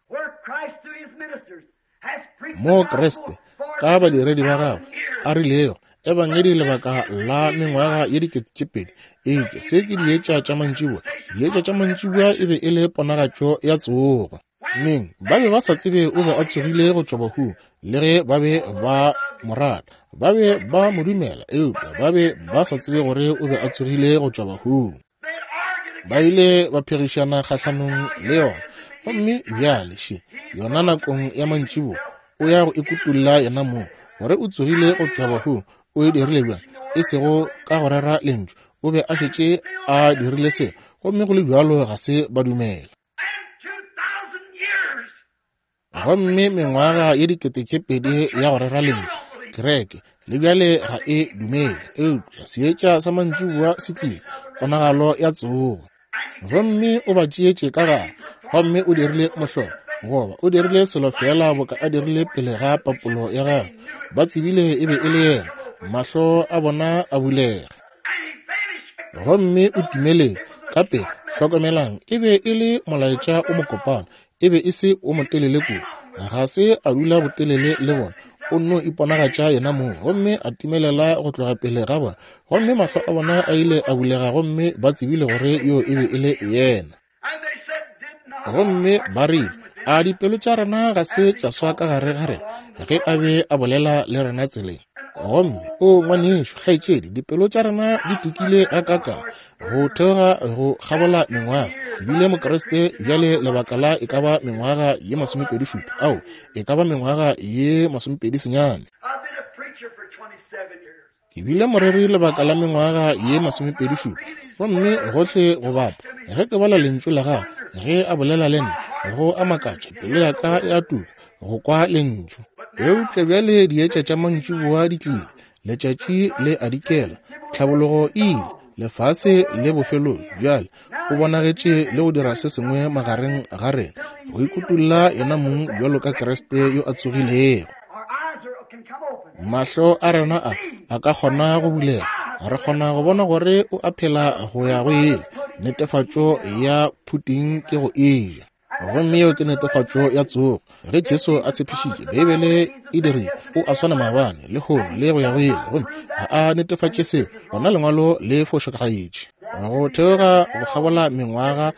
mo Kriste ka badiredi ba gagwe a rilego ebangedi lebaka la mengwaga ye dikete tše pedi, eupša se ke dietša tša mantšiboa. Dietša tša mantšiboa e be e le ponagatšo ya tsogo. Neng ba be ba sa tsebe o be a tsogile go tšwa bahung, le ge ba be ba mo rata, ba be ba mo dumela, eupša ba be ba sa tsebe gore o be a tsogile go tšwa bahung. Ba ile ba phegišana kgahlanong le yona. Gomme bjale še yona nakong ya mantšiboa o ya go ikutulla yena mong gore o tsogile go tšwa bahung. O e dirile bjang? E sego ka go rera lentšu, o be a šetše a dirile se, gomme go le bjalo ga se ba dumela. Gomme mengwaga ye dikete tše pedi ya go rera lentšu, kereke le bjale ga e dumele, eupša seetša sa mantšiboa se tlile, ponagalo ya tsogo. Gomme o ba tšeetše ka gare, gomme o dirile mohlolo, goba o dirile selo fela boka a dirile pele ga papolo ya gagwe. Ba tsebile e be e le yena, mahlo a bona a bulega. Gomme o timeletše ka pele. Hlokomelang, e be e le molaetša o mokopana, e be e se o motelele kudu. Ga se a dula botelele le bona, o nno iponagatša yena mong, gomme a timelela go tloga pele ga bona. Gomme mahlo a bona a ile a bulega, gomme ba tsebile gore yo e be e le yena. Gomme ba rile, a dipelo tša rena ga se tša swa ka gare ga rena ge a be a bolela le rena tseleng? Gomme o ngwanešu, kgaetšedi, dipelo tša rena di tukile gakaka go theoga go kgabola mengwaga. Ebile Mokriste bjale lebaka la e ka ba mengwaga ye masomepedi šupa, ao e ka ba mengwaga ye masomepedi senyane. Ke bile moreri lebaka la mengwaga ye masomepedi šupa, gomme gohle go bapa ge ke bala lentšu la gagwe ge a bolela le nna, go a makatša, pelo ya ka e a tuka go kwa lentšu. Eupša bjale dietša tša mantšiboa di tlile, letšatši le a dikela, tlhabologo e ile, lefase le bofelong. Bjale o bonagetše le go dira se sengwe magareng ga rena, go ikutulla yena mong bjalo ka Kriste yo a tsogilego. Mahlo a rena a a ka kgona go bulega, re kgona go bona gore o a phela go ya go ile. Netefatšo ya phuting ke go eja. Gomme yeo ke netefatšo ya tsogo. Ge Jesu a tshepišitše, Beibele e dirile, o a swana maabane, lehono, le go ya go ile, gomme ga a netefatše seo, gona lengwalo le fošagetše. Go theoga go kgabola mengwaga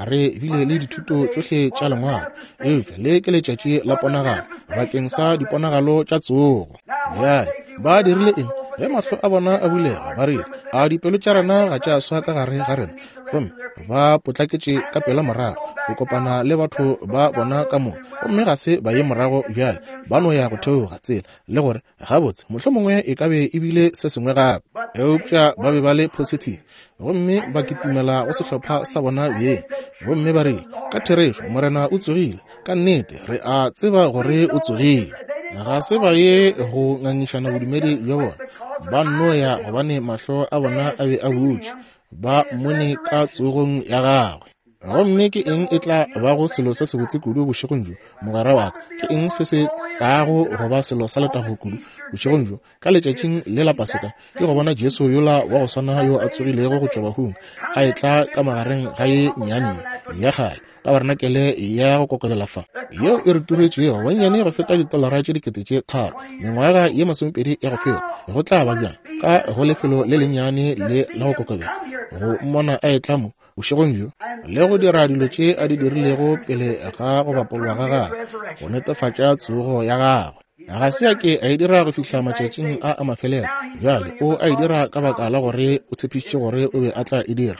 re bile le dithuto tšohle tša lengwalo, eupša le ke letšatši la ponagalo bakeng sa diponagalo tša tsogo. Bjale ba dirile eng? Ge mahlo a bona a bulega, ba rile, a dipelo tša rena ga tša swa ka gare ga rena? Gomme ba potlaketše ka pela morago go kopana le batho ba bona ka moka, gomme ga se ba ye morago bjale, ba no ya go theoga tsela le gore gabotse mohlomongwe e ka be e bile se sengwe gape. Eupša ba be ba le positive, gomme ba kitimela go sehlopha sa bona bjeng, gomme ba rile, ka therešo Morena o tsogile, ka nnete re a tseba gore o tsogile. Ga se ba ye go ngangišana bodumedi bja bona, ba nno ya gobane mahlo a bona a be a butše, ba mmone ka tsogong ya gagwe. Gomme ke eng e tla bago selo se sebotse kudu bošegong bjo, mogwera wa ka? Ke eng se se tlago go ba selo sa letago kudu bošegong bjo, ka letšatšing le la Paseka? Ke go bona Jesu yola wa go swana yo a tsogilego go tšwa bahung, a etla ka magareng ga ye nnyane ya kgale tabarenakele ya go kokobela fa, yeo e re turetšego bonnyane go feta ditolara tše dikete tše tharo mengwaga ye masomepedi ya go feta. Go tla ba bjang ka go lefelo le lennyane le la go kokobela go mmona a etla mo bošegong bjo le go dira dilo tše a di dirilego pele ga go bapolwa ga gagwe, go netefatša tsogo ya gagwe. Ga se a ke a e dira go fihla matšatšing a a mafelelo. Bjale o a e dira ka baka la gore o tshepišitše gore o be a tla e dira.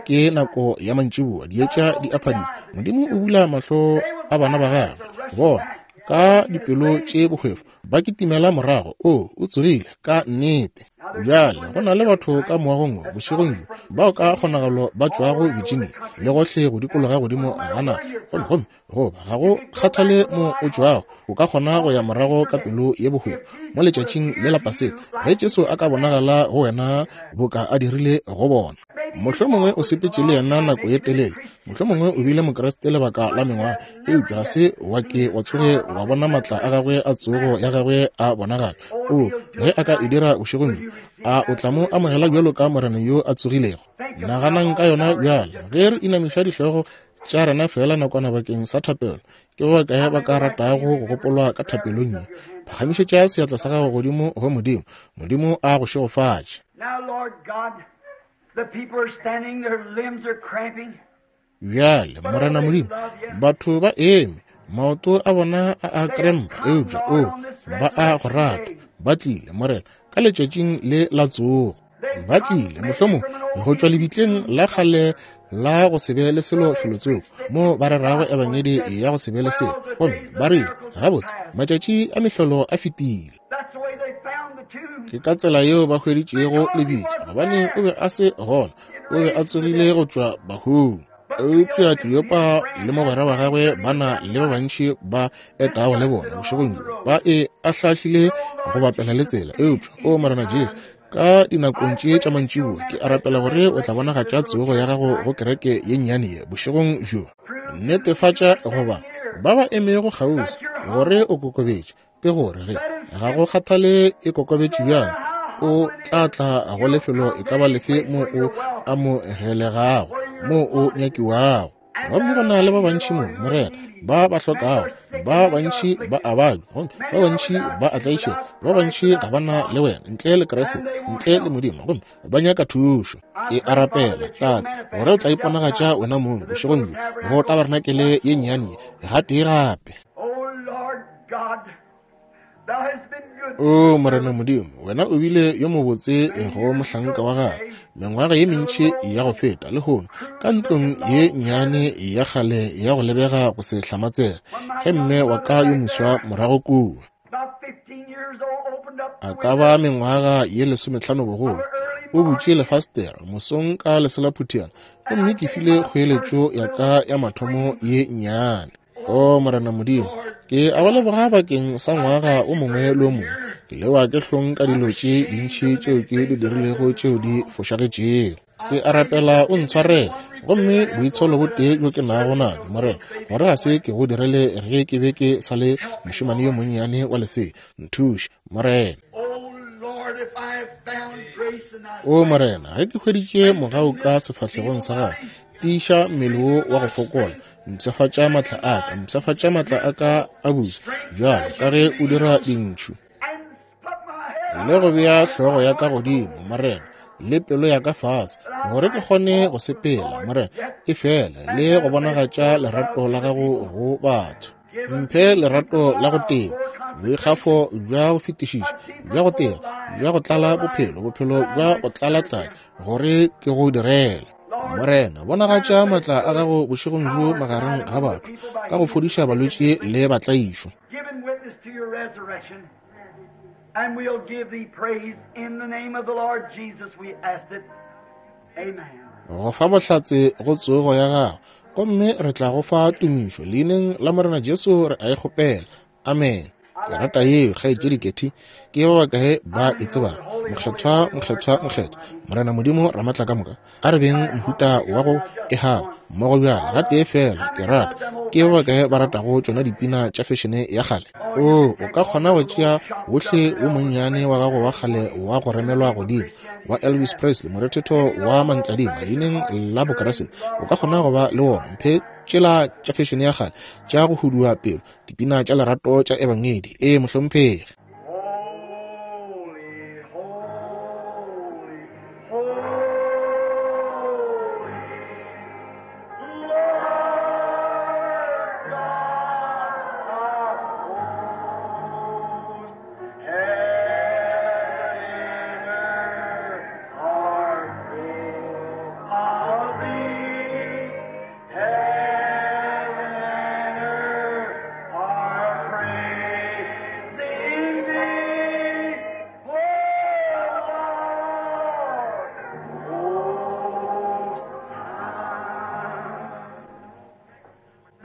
Ke nako ya mantšiboa, dietša di a phadima. Modimo o bula mahlo a bana ba gagwe, bona ka dipelo tše bohwefo ba kitimela morago. O o tsogile ka nnete. Bjale go na le batho ka moagong wo bošegong bjo bao ka kgonagalo ba tšwago Virginia le gohle go dikologa godimo ga naga, gomme gomme goba ga go kgathale mo o tšwago, o ka kgona go ya morago ka pelo ye bohwefo mo letšatšing le la Paseka, ge Jesu a ka bonagala go wena boka a dirile go bona. Mohlomongwe o sepetše le yena nako ye telele, mohlomongwe o bile Mokriste lebaka la mengwaga, eupša ga se wa ke wa tsoge wa bona matla a gagwe a tsogo ya gagwe a bonagala. O ge a ka e dira bošegong bjo, a o tla mo amogela bjalo ka Morena yo a tsogilego? Naganang ka yona bjale ge re inamiša dihlogo tša rena fela nakwana bakeng sa thapelo. Ke ba bakae ba ka ratago go gopolwa ka thapelong ye? Phagamišetša seatla sa gago godimo go Modimo. Modimo a go šegofatše. The people are standing, their limbs are cramping. Bjale Morena Modimo, batho ba eme, maoto a bona a a krempa, eupša o ba a go rata. Ba tlile, Morena, ka letšatšing le la tsogo. Ba tlile mohlomong go tšwa lebitleng la kgale la go se be le selo felotsoko, mo ba rerago ebangedi ya go se be le selo, gomme ba rile, gabotse matšatši a mehlolo a fetile. That's the way they found the tomb. Ke ka tsela yeo ba hweditšego lebitla, gobane o be a se gona, o be a tsogile go tšwa bahung. Eupša Kleopa le mogwera wa gagwe ba na le ba bantši ba etago le bona bošegong bjo, ba e ahlahlile go bapela le tsela. Eupša o Morena Jesu, ka dinakong tše tša mantšiboa ke a rapela gore o tla bonagatša tsogo ya gago go kereke ye nnyane ye bošegong bjo. Netefatša goba ba ba emego kgauswi gore o kokobetše, ke gore ge ga go kgathale e kokobetše bjang, o tla tla go lefelo e ka ba lefe mo o amogelegago, mo o nyakiwago. Gomme go na le ba bantši mo, Morena, ba ba hlokago, ba bantši ba a babja, gomme ba bantši ba a tlaišega, ba bantši ga ba na le wena ntle le Kriste, ntle le Modimo, gomme ba nyaka thušo. Ke a rapela, Tate, gore o tla iponagatša wena mong bošegong bjo go tabarenakele ye nnyane ye gatee gape. Oh Lord God, thou hast been good. O Morena Modimo, wena o bile yo mobotse go mohlanka wa gagwe mengwaga ye mentši ya go feta lehono, ka ntlong ye nnyane ya kgale ya go lebega go se hlamatsega, ge mme wa ka yo moswa morago kua, About fifteen years old, opened up a ka ba mengwaga ye lesometlhano bogolo, o butše lefastere mosong ka leselaphutiana, gomme ke file kgoeletšo ya ka ya mathomo ye nnyane. O Morena Modimo, ke a go leboga bakeng sa ngwaga o mongwe le o mongwe. Ke lewa ke hlong ka dilo tše dintši tšeo ke di dirilego tšeo di fošagetšego. Ke a rapela o ntshwarele, gomme boitsholo bo tee bjo ke nago nabjo, Morena, gore ga se ke go direle ge ke be ke sa le mošemane yo monnyane wa lesea. Nthuše, Morena. Oh Lord, if I have found grace in thy O sight, Morena, ge ke hweditše mogau ka sefahlegong sa gago, tiiša mmele wo wa go fokola, Mpshafatša maatla a ka, mpshafatša maatla a ka a busa, bjalo ka ge o dira dintšhu. Le go bea hlogo ya ka godimo, Morena, le pelo ya ka fase, gore ke kgone go sepela, Morena, e fela le go bonagatša lerato la gago go batho. Mphe lerato la go teba, boikgafo bja go fetišiša, bja go teba, bja go tlala bophelo, bophelo bja go tlala-tlala, gore ke go direle. Morena, bonagatša maatla a gago bošegong bjo magareng ga batho, ka go fodiša balwetši le batlaišwa. And we'll give thee praise in the name of the Lord Jesus, we ask it. Amen. Go fa bohlatse go tsogo ya gago, gomme re tla go fa tumišo leineng la Morena Jesu re a e kgopela. Amen. Ke rata yeo, kgaetšedi Ketty. Ke ba bakae ba e tsebago? Mokgethwa, mokgethwa, mokgethwa, Morena Modimo Ramatla ka moka. A re beng mohuta wa go e haba mmogo bjale, gatee fela. Ke rata. Ke ba bakae ba ratago tšona dipina tša fešene ya kgale? O, o ka kgona go tšea wohle wo monnyane wa gago wa kgale wa go remelwa godimo wa Elvis Presley, morethetho wa mantladima leineng la Bokreste, o ka kgona go ba le wona. Mphe tšela tša fešene ya kgale tša go hudua pelo, dipina tša lerato tša ebangedi. Ee, mohlomphegi.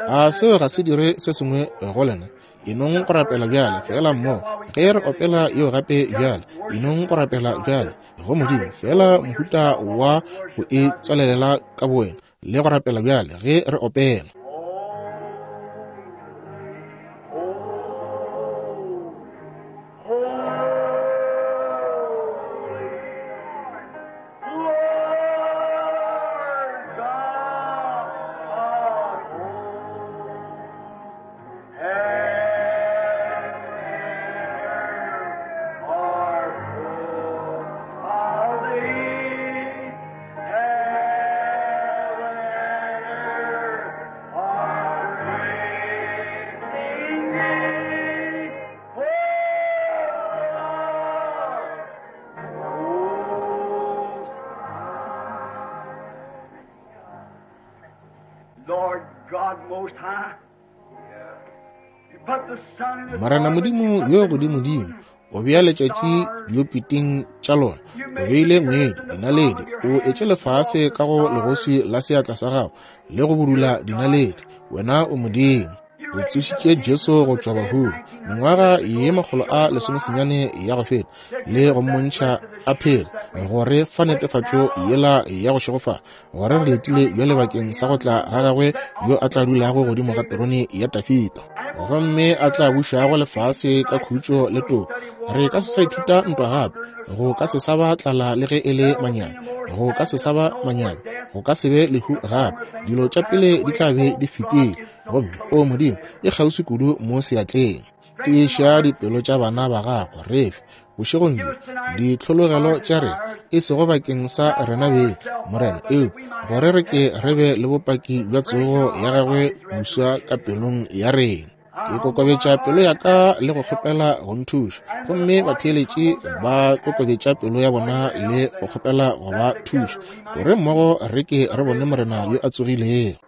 A seo ga se dire se sengwe go lena? Enong go rapela bjale, fela mmogo. Ge re opela yeo gape bjale, enong go rapela bjale go Modimo, fela mohuta wa go e tswalelela ka bowena le go rapela bjale ge re opela. Morena Modimo yo godimodimo, o bea letšatši diopiting tša lona, o beile ngwedi, dinaledi, o etše lefase ka go legoswi la seatla sa gago le go budula dinaledi. Wena o Modimo. O tsošitše Jesu go tšwa bahung mengwaga ye makgolo a lesomesenyane ya go feta, le go mmontšha a phela, gore fa netefatšo yela ya go šegofala, gore re letile bjale bakeng sa go tla ga gagwe yo a tla dulago godimo ga terone ya Dafida, gomme a tla bušago lefase ka khutšo le toka. Re ka se sa ithuta ntwa gape, go ka se sa ba tlala le ge e le manyami, go ka se sa ba manyami, go ka se be lehu gape. Dilo tša pele di tla be di fetile, gomme o Modimo e kgauswi kudu mo seatleng. Tiiša dipelo tša bana ba gago, re fe bošegong bjo ditlhologelo tša rena, e sego bakeng sa rena beng, Morena, eupša gore re ke re be le bopaki bja tsogo ya gagwe buswa ka pelong ya rena. Ke kokobetša pelo ya ka le go kgopela go nthuša, gomme batheeletši ba kokobetša pelo ya bona le go kgopela go ba thuša, gore mmogo re ke re bone Morena yo a tsogilego.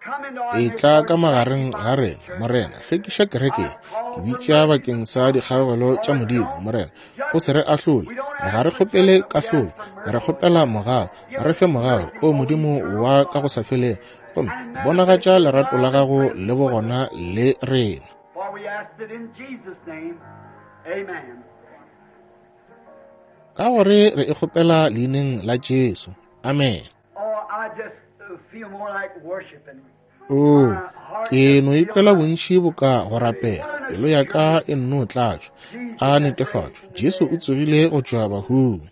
E tla ka magareng ga rena, Morena, hlwekiša kereke. Ke bitša bakeng sa dikgaogelo tša Modimo, Morena, o se re ahlole. Ga re kgopele kahlolo, re kgopela mogau. Re fe mogau, o Modimo wa ka go sa felego, gomme bonagatša lerato la gago le bogona le rena. Ka gore re e kgopela leineng la Jesu. Amen. O, ke no ikwela bontši boka go rapela, pelo ya ka e nno tlatšwa. A netefatšo, Jesu o tsogile go tšwa bahung.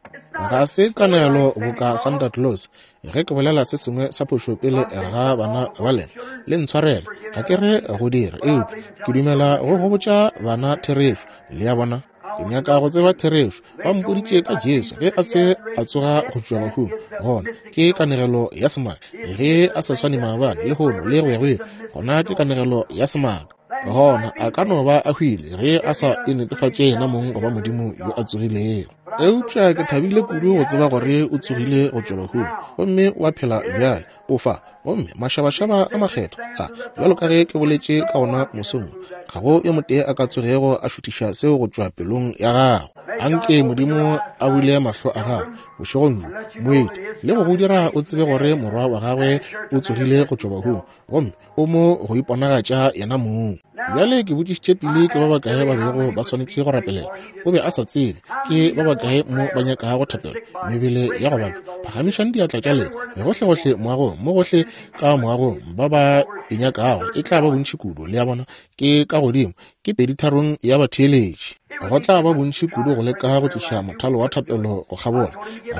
Ga se kanegelo boka Santa Claus. Ge ke bolela se sengwe sa phošo pele ga bana ba lena, le ntshwarele, ga ke re go dira, eupša ke dumela go go botša bana therešo. Le a bona? Ke nyaka go tseba therešo. Ba mpoditše ka Jesu ge a se a tsoga go tšwa bahung. Gona ke kanegelo ya semaka. Ge a sa swane maabane, lehono le go ya go ile, gona ke kanegelo ya semaka. Gona a ka no ba a hwile ge a sa e netefatše yena mong goba Modimo yo a tsogilego. Eupša ke thabile kudu go tseba gore o tsogile go tšwa bahung gomme wa phela bjale, o fa. Gomme mašabašaba a makgethwa a, bjalo ka ge ke boletše ka ona mosong, ga go yo motee a ka tsogego a šuthiša seo go tšwa pelong ya gago. Anke Modimo a bule mahlo a gago bošegong bjo, moeti, le go go dira o tsebe gore morwa wa gagwe o tsogile go tšwa bahung gomme o mo go iponagatša yena mong. Bjale ke botšišitše pele ke ba bakae ba bego ba swanetše go rapelela. O be a sa tsebe ke ba bakae mo ba nyakago thapelo, mebele ya go babja. Phagamišang diatla tša lena gohlegohle moagong, mo gohle ka moagong, ba ba e nyakago e tla ba bontši kudu. Le a bona, ke ka godimo, ke peditharong ya batheeletši. Go tla ba bontši kudu go leka go tliša mothalo wa thapelo go kgabola.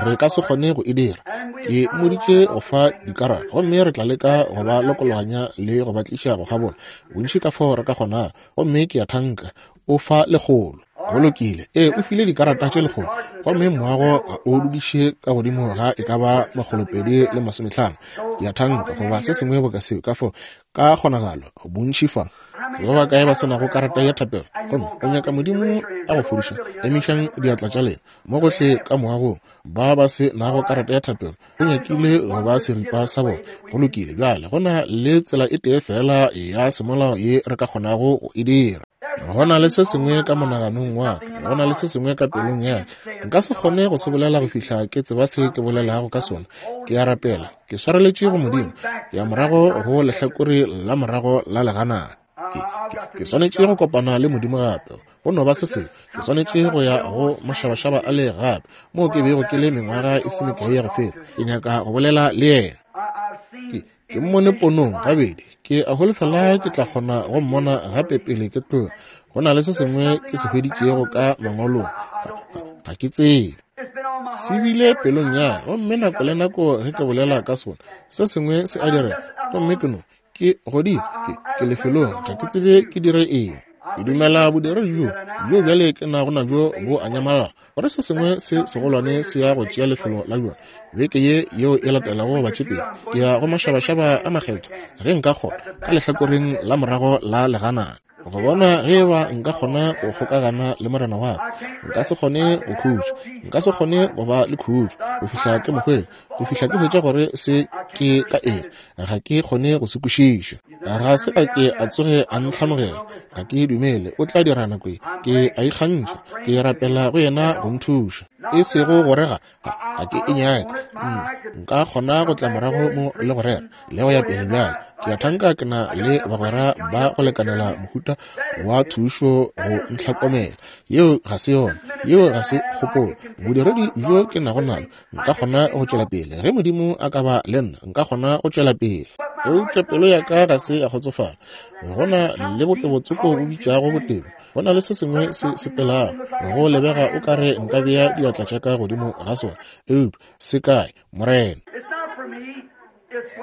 Re ka se kgone go e dira. Ke mmoditše go fa dikarata, gomme re tla leka go ba lokologanya le go ba tliša go kgabola bontši ka fao re ka kgonago. Gomme ke a thanka o fa lekgolo. Go lokile. Ee, o file dikarata tše lekgolo, gomme moago ga o dudiše ka godimo ga e ka ba makgolopedi le masomehlano. Ke a thanka goba se sengwe boka seo, ka fao ka kgonagalo bontši fa. Ke ba bakae ba se nago karata ya thapelo gomme o nyaka Modimo a go fodiša? Emišang diatla tša lena mo gohle ka moagong. Ba ba se nago karata ya thapelo o nyakile go ba seripa sa bona. Go lokile. Bjale go na le tsela e tee fela ya semolao ye re ka kgonago go e dira. Go na le se sengwe ka monaganong wa ka, go na le se sengwe ka pelong ya ka. Nka se kgone go se bolela go fihla ke tseba se ke bolelago ka sona. Ke a rapela, ke swareletše go Modimo, ke ya morago go lehlakore la morago la leganana. Ke, ke, ke swanetše go kopana le Modimo gape. Go no ba se sengwe. Ke swanetše go ya go mašabašaba a le gape, moo ke bego ke le mengwaga e se mekae ya go feta. Ke nyaka go bolela le yena. Ke, ke mmone ponong gabedi. Ke a holofela ke tla kgona go mmona gape pele ke tloga. Go na le se sengwe ke se hweditšego ka mangwalong. Ga, ga, ga ke tsebe. Se bile pelong ya ka, gomme nako le nako ge ke bolela ka sona, se sengwe se a direga. Gomme ke no, ke godimo, ke, ke lefelong, ga ke tsebe ke dire eng. Ke dumela bodiredi bjo, bjo bjale ke nago nabjo bo a nyamalala, gore se sengwe se segolwane se ya go tšea lefelo la bjona. Beke ye yeo e latelago goba tše pedi, ke ya go mašabašaba a makgethwa ge nka kgona, ka lehlakoreng la morago la leganana, go bona ge eba nka kgona go kgokagana le morena wa ka. Nka se kgone go khutša, nka se kgone go ba le khutšo go fihla ke mo hwetša, go fihla ke hwetša gore se ke ka eng. Ga ke kgone go se kwešiša. Ga se a ke a tsoge a ntlhanogela. Ga ke dumele o tla dira nako ye. Ke a ikgantšha, ke rapela go yena go nthuša. E sego gore ga, ga, ga ke e nyake. Nka kgona go tla morago mo le go rera le go ya pele bjale. Ke a thanka ke na le bagwera ba go lekanela mohuta wa thušo go ntlhokomela. Yeo ga se yona, yeo ga se kgopolo. Bodiredi bjo ke nago nalo, nka kgona go tšwela pele. Ge Modimo a ka ba le nna, nka kgona go tšwela pele. Eupša pelo ya ka ga se ya kgotsofala. Go na le botebotsoko bo bitšago botebo. Go na le se sengwe se sepelago. Go lebega o ka re nka bea diatla tša ka godimo ga sona. Eupša se kae, Morena?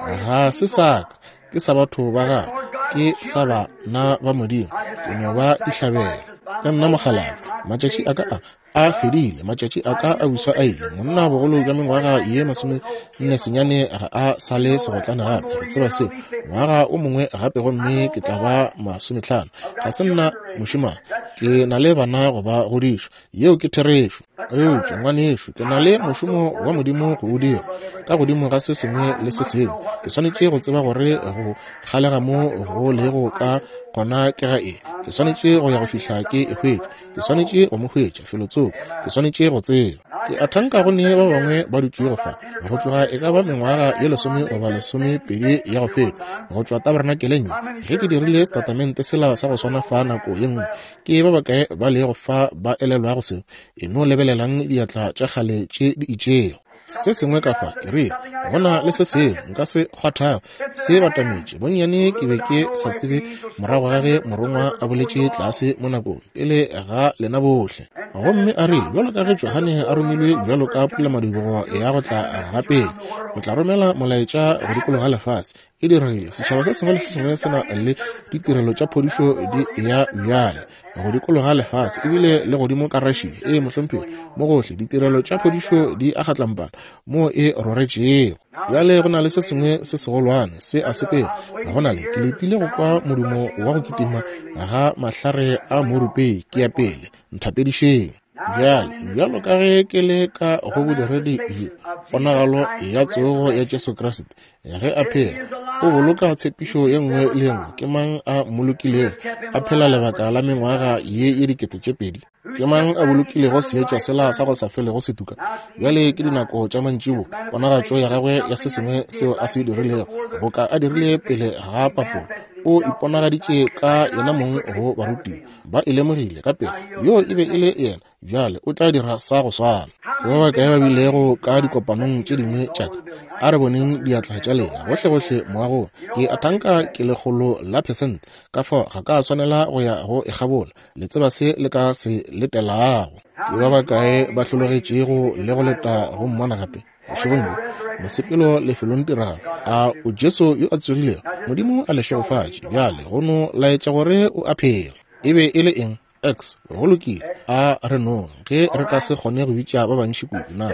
Ga se sa ka, ke sa batho ba gagwe, ke sa bana ba Modimo. Ke no ba dihlabela. Ke nna mokgalabje. Matšatši a ka a a fedile, matšatši a ka a buswa a ile. Monna bogolo bja mengwaga ye masomenne senyane ga a sa le segotlane gape. Re tseba seo. Ngwaga o mongwe gape gomme ke tla ba masomehlano. Ga se nna mošemane, ke na le bana go ba godiša. Yeo ke therešo. Eupša ngwanešo, ke na le mošomo wa Modimo go o dira. Ka godimo ga se sengwe le se sengwe, ke swanetše go tseba gore go kgalega mo go lego ka gona ke ga eng. Ke swanetše go ya go fihla ke e hwetša. Ke swanetše go mo hwetša felotsoko. Ke swanetše go tseba. Ke a thanka go ne ba bangwe ba dutšego fa go tloga e ka ba mengwaga ye lesome goba lesomepedi ya go feta, go tšwa tabernakeleng ye, ge ke dirile setatamente sela sa go swana fa nako ye nngwe. Ke ba bakae ba lego fa ba elelwago seo? E no lebelelang diatla tša kgale tše di itšego. Se sengwe ka fa, ke rile, go na le se sengwe nka se kgwathago, se batametše. Bonnyane ke be ke sa tsebe morago ga ge morongwa a boletše tlase mo nakong pele ga lena bohle. Gomme a rile, bjalo ka ge Johane a romilwe bjalo ka pulamadibogo ya go tla ga pele, o tla romela molaetša go dikologa lefase. E diregile, setšhaba se sengwe le se sengwe se na le ditirelo tša phodišo di ya bjale go dikologa lefase, ebile le godimo ka Russia. Ee, mohlomphegi, mo gohle ditirelo tša phodišo di a kgatlampana mo e roretšego. Bjale go na le se sengwe se segolwane se a sepela. Go na le, ke letile go kwa modumo wa go kitima ga mahlare a morupei. Ke ya pele, nthapedišeng. Bjale, bjalo ka ge ke le ka go bodiredi bjo, ponagalo ya tsogo ya Jesu Kriste ge a phela, o boloka tshepišo ye nngwe le ye nngwe. Ke mang a mmolokilego a phela lebaka la mengwaga ye ye dikete tše pedi? Ke mang a bolokilego seetša sela sa go sa felego se tuka? Bjale ke dinako tša mantšibo, ponagatšo ya gagwe ya se sengwe seo a se dirilego, boka a dirile pele ga papolo. O iponagaditše ka yena mong go barutiwa, ba e lemogile ka pele yo e be e le yena. Bjale o tla dira sa go swana. Ke ba bakae ba bilego ka dikopanong tše dingwe tša ka? A re boneng diatla tša lena gohlegohle moagong. Ke a thanka ke lekgolo la phesente, ka fao ga ka swanela go ya go e kgabola. Le tseba se le ka se letelago. Ke ba bakae ba hlologetšego le go leta go mmona gape bošegong bjo? Mosepelo lefelong tiragalo. A o Jesu yo a tsogilego? Modimo a le šegofatše. Bjale go no laetša gore o a phela. E be e le eng? X. Go lokile. A re nong ge re ka se kgone go bitša ba bantši kudu, na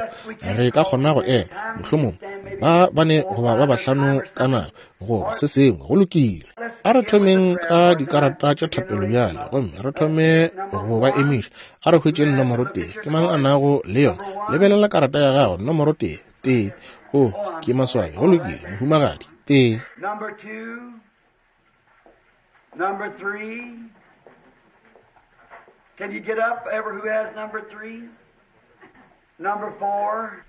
re ka kgona go ema mohlomong ba bane goba ba bahlano ka nako goba se sengwe? Go lokile. A re thomeng ka dikarata tša thapelo bjale, gomme re thome go ba emiša. A re hwetšeng nomoro tee. Ke mang a nago le yona? Lebelela karata ya gago. Nomoro tee. Tee. O, ke maswabi. Go lokile, mohumagadi. Tee. Number two. Number three. Can you get up, ever who has number three? Number four.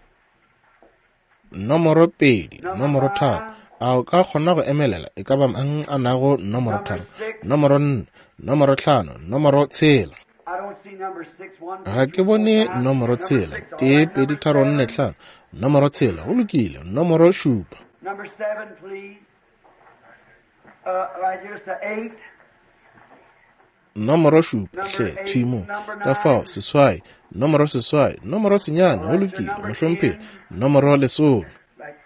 Nomoro pedi, nomoro tharo. A o ka kgona go emelela? E ka ba mang a nago nomoro tharo? Nomoro nne, nomoro hlano, nomoro tshela. I don't see number six. One, Ga ke bone nomoro tshela. Tee, pedi, tharo, nne, hlano. Nomoro tshela. Go lokile. Nomoro šupa. Number seven, please. Uh, right here's the eight. Nomoro šupa, hle, thwi mo. Ka fao, seswai. Nomoro seswai. Nomoro senyane. Go lokile, mohlomphegi. Nomoro lesome. Right.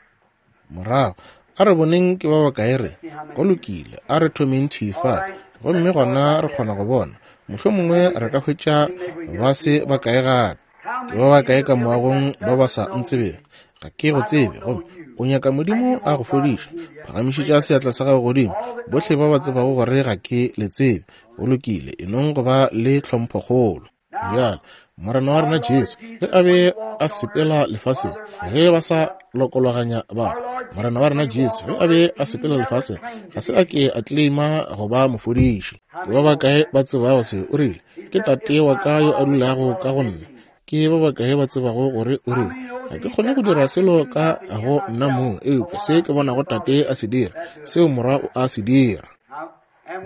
Morago a re boneng ke ba bakae re. Go lokile, a re thomeng thwi fa, gomme gona re kgona go bona. Mohlomongwe re ka hwetša ba se bakae gape. Ke ba bakae ka moagong ba ba sa ntsebego? Ga ke go tsebe, gomme o nyaka Modimo a go fodiša. Phagamišetša seatla sa gago godimo, bohle ba ba tsebago gore ga ke le tsebe. Go lokile, e nong go ba le tlhomphokgolo. Bjale Morena wa rena Jesu, ge a be a sepela lefaseng, ge ba sa lokologanya batho, Morena wa rena Jesu ge a be a sepela lefaseng, ga se a ke a claima go ba mofodiši. Ke ba bakae ba tsebago se? O rile, ke Tate wa ka yo a dulago ka go nna. Ke ba bakae ba tsebago gore o rile, ga ke kgone go dira selo ka go nna mong, eupša se ke bonago Tate a se dira, seo Morwa o a se dira.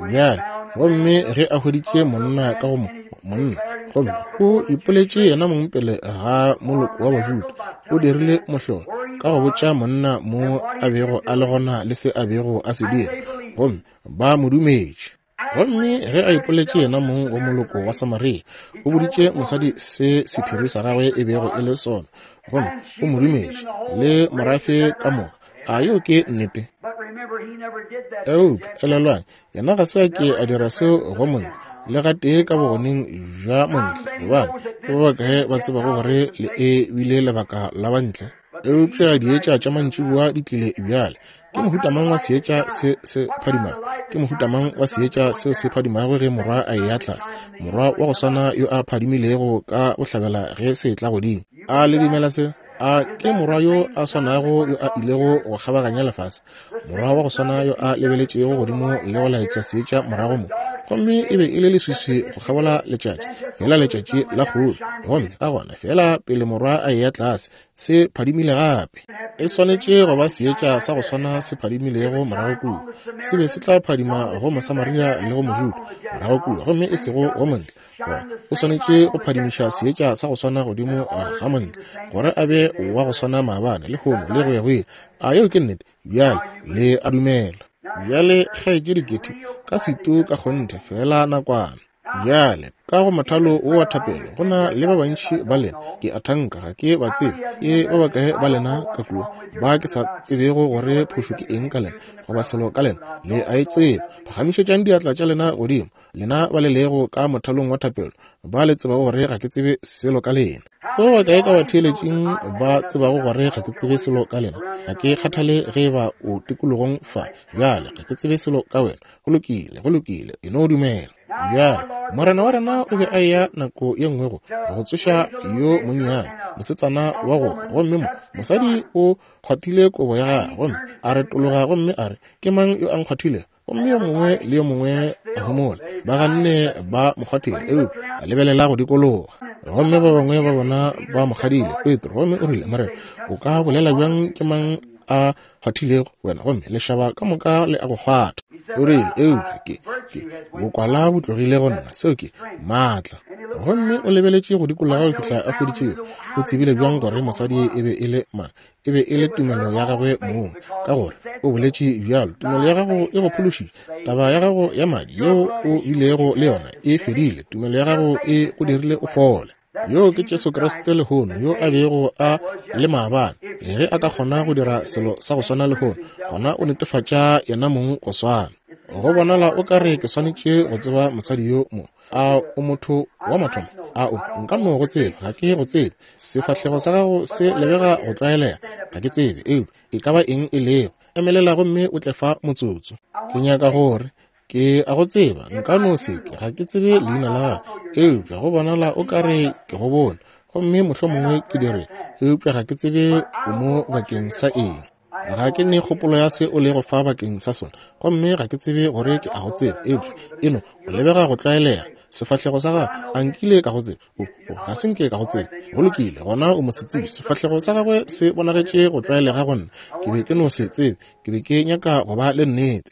Bjale, gomme ge a hweditše monna ka go monna, gomme o ipoletše yena mong pele ga moloko wa Bajuda, o dirile mohlolo ka go botša monna mo a bego a le gona le se a bego a se dira, gomme ba mo dumetše. Gomme ge a ipoletše yena mong wa moloko wa Samaria, o boditše mosadi se sephiri sa gagwe e bego e le sona, gomme o mo dumetše le morafe ka moka. A yeo ke nnete? But remember, he never did that. Eupša elelwang, yena ga se a ke a dira seo go montle le gatee ka bogoneng bja montle, gobane ke ba bakae ba tsebago gore le e bile lebaka la bantle? Eupša dietša tša mantšiboa di tlile bjale. Ke mohuta mang wa seetša se se phadimago? Ke mohuta mang wa seetša seo se phadimago ge morwa a eya tlase? Morwa wa go swana yo a phadimilego ka bohlabela ge se tla godimo. A le dumela se? A ke morwa yo a swanago yo a ilego go kgabaganya lefase? Morwa wa go swana yo a lebeletšego godimo le go laetša seetša morago mo, gomme e be e le leswiswi go kgabola letšatši, fela letšatši la kgolo. Gomme ka gona fela pele morwa a eya tlase, se phadimile gape. E swanetše go ba seetša sa go swana se phadimilego morago kua. Se be se tla phadima go Mosamaria le go Mojuda morago kua, gomme e sego go Montle. Gona o swanetše go phadimiša seetša sa go swana godimo ga Montle, gore a be wa go swana maabane, lehono le go ya go ile. A yeo ke nnete? Bjale le a dumela. Bjale kgaetšedi Getty, ka setu ka kgonthe fela nakwana. Bjale ka go mothalo wo wa thapelo go na le ba bantši ba lena, ke a thanka ga ke ba tsebe. Ke ba bakae ba lena ka kua ba ke sa tsebego gore phošo ke eng ka lena goba selo ka lena? Le a e tseba. Phagamišetšang diatla tša lena godimo, lena ba le lego ka mothalong wa thapelo, ba le tsebago gore ga ke tsebe selo ka lena. Ke ba bakae ka batheeletšing ba tsebago gore ga ke tsebe selo ka lena? Ga ke kgathale ge eba o tikologong fa. Bjale ga ke tsebe selo ka wena. Go lokile, go lokile, e no dumela. Bjale Morena wa rena o be a eya nako ye nngwe go go tsoša yo monnyane mosetsana wa go, gomme mo mosadi o kgwathile kobo ya gagwe, gomme a retologa gomme a re, ke mang yo a nkgwathilego? Gomme yo mongwe le yo mongwe a homola. Ba ganne ba mo kgwathile, eupša a lebelela go dikologa. Gomme ba bangwe ba bona ba mo kgadile, Petro, gomme o rile, Morena, o ka bolela bjang ke mang a kgwathilego wena? Gomme lešaba ka moka le a go kgwatha. O rile, eupša ke ke bokwala bo tlogile go nna, seo ke maatla. Gomme o lebeletše go dikologa go fihla a hweditše. O tsebile bjang gore mosadi e be e le mang? E be e le tumelo ya gagwe mong, ka gore o boletše bjalo, tumelo ya gago e go phološitše. Taba ya gago ya madi yeo o bilego le yona e fedile. Tumelo ya gago e go dirile o fole. Yo ke Jesu Kriste lehono, yo a bego a le maabane. Ge a ka kgona go dira selo sa go swana lehono, gona o netefatša yena mong go swana. Go bonala o ka re ke swanetše go tseba mosadi yo mo. A o motho wa mathomo? A o nka no go tseba? Ga ke go tsebe. Sefahlego sa gago se lebega go tlwaelega. Ga ke tsebe, eupša e ka ba eng e lego. Emelela gomme o tle fa motsotso. Ke nyaka gore ke a go tseba, nka no se ke, ga ke tsebe leina la gago, eupša go bonala o ka re ke go bone, gomme mohlomongwe ke dire, eupša ga ke tsebe o mo bakeng sa eng. Ga ke ne kgopolo ya se o lego fa bakeng sa sona, gomme ga ke tsebe gore ke a go tseba, eupša eno o lebega go tlwaelega. Sefahlego sa gago, a nkile ka go tseba? O, o, ga se nke ka go tseba. Go lokile, gona o mosetsebje. Sefahlego sa gagwe se bonagetše go tlwaelega go nna. Ke be ke no se tsebe, ke be ke nyaka go ba le nnete.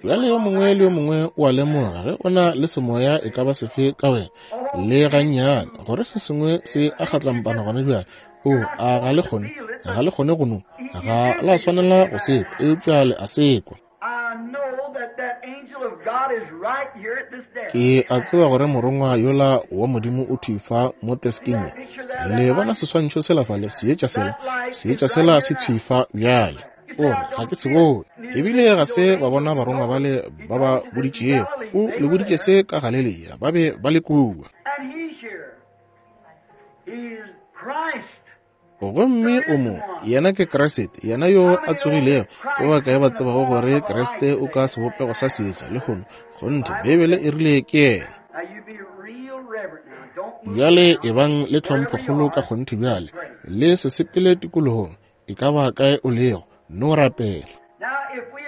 Bjale yo mongwe le yo mongwe o a lemoga ge o na le semoya e ka ba sefe ka wena, le gannyane, gore se sengwe se a kgatlampana gona bjale. O, a ga le kgone, ga le kgone go no, ga la swanela go sekwa, eupša le a sekwa. Ke a tseba gore morongwa yola wa Modimo o thwi fa mo teskeng ye. Le bona seswantšho sela fale, seetša sela, seetša sela se thwi fa bjale. O re, ga ke se bone. Ebile ga se ba bona barongwa bale ba ba boditšego. O le boditše se ka Galilea, ba be ba le kua. Gomme o mo, yena ke Kriste, yena yo a tsogilego. Ke ba kae ba tsebago gore Kriste o ka sebopego sa seetša lehono? Kgonthe, Beibele e rile ke yena. Bjale ebang le tlhomphokgolo ka kgonthe bjale, le se sepele tikologong, e ka ba kae o lego, no rapela.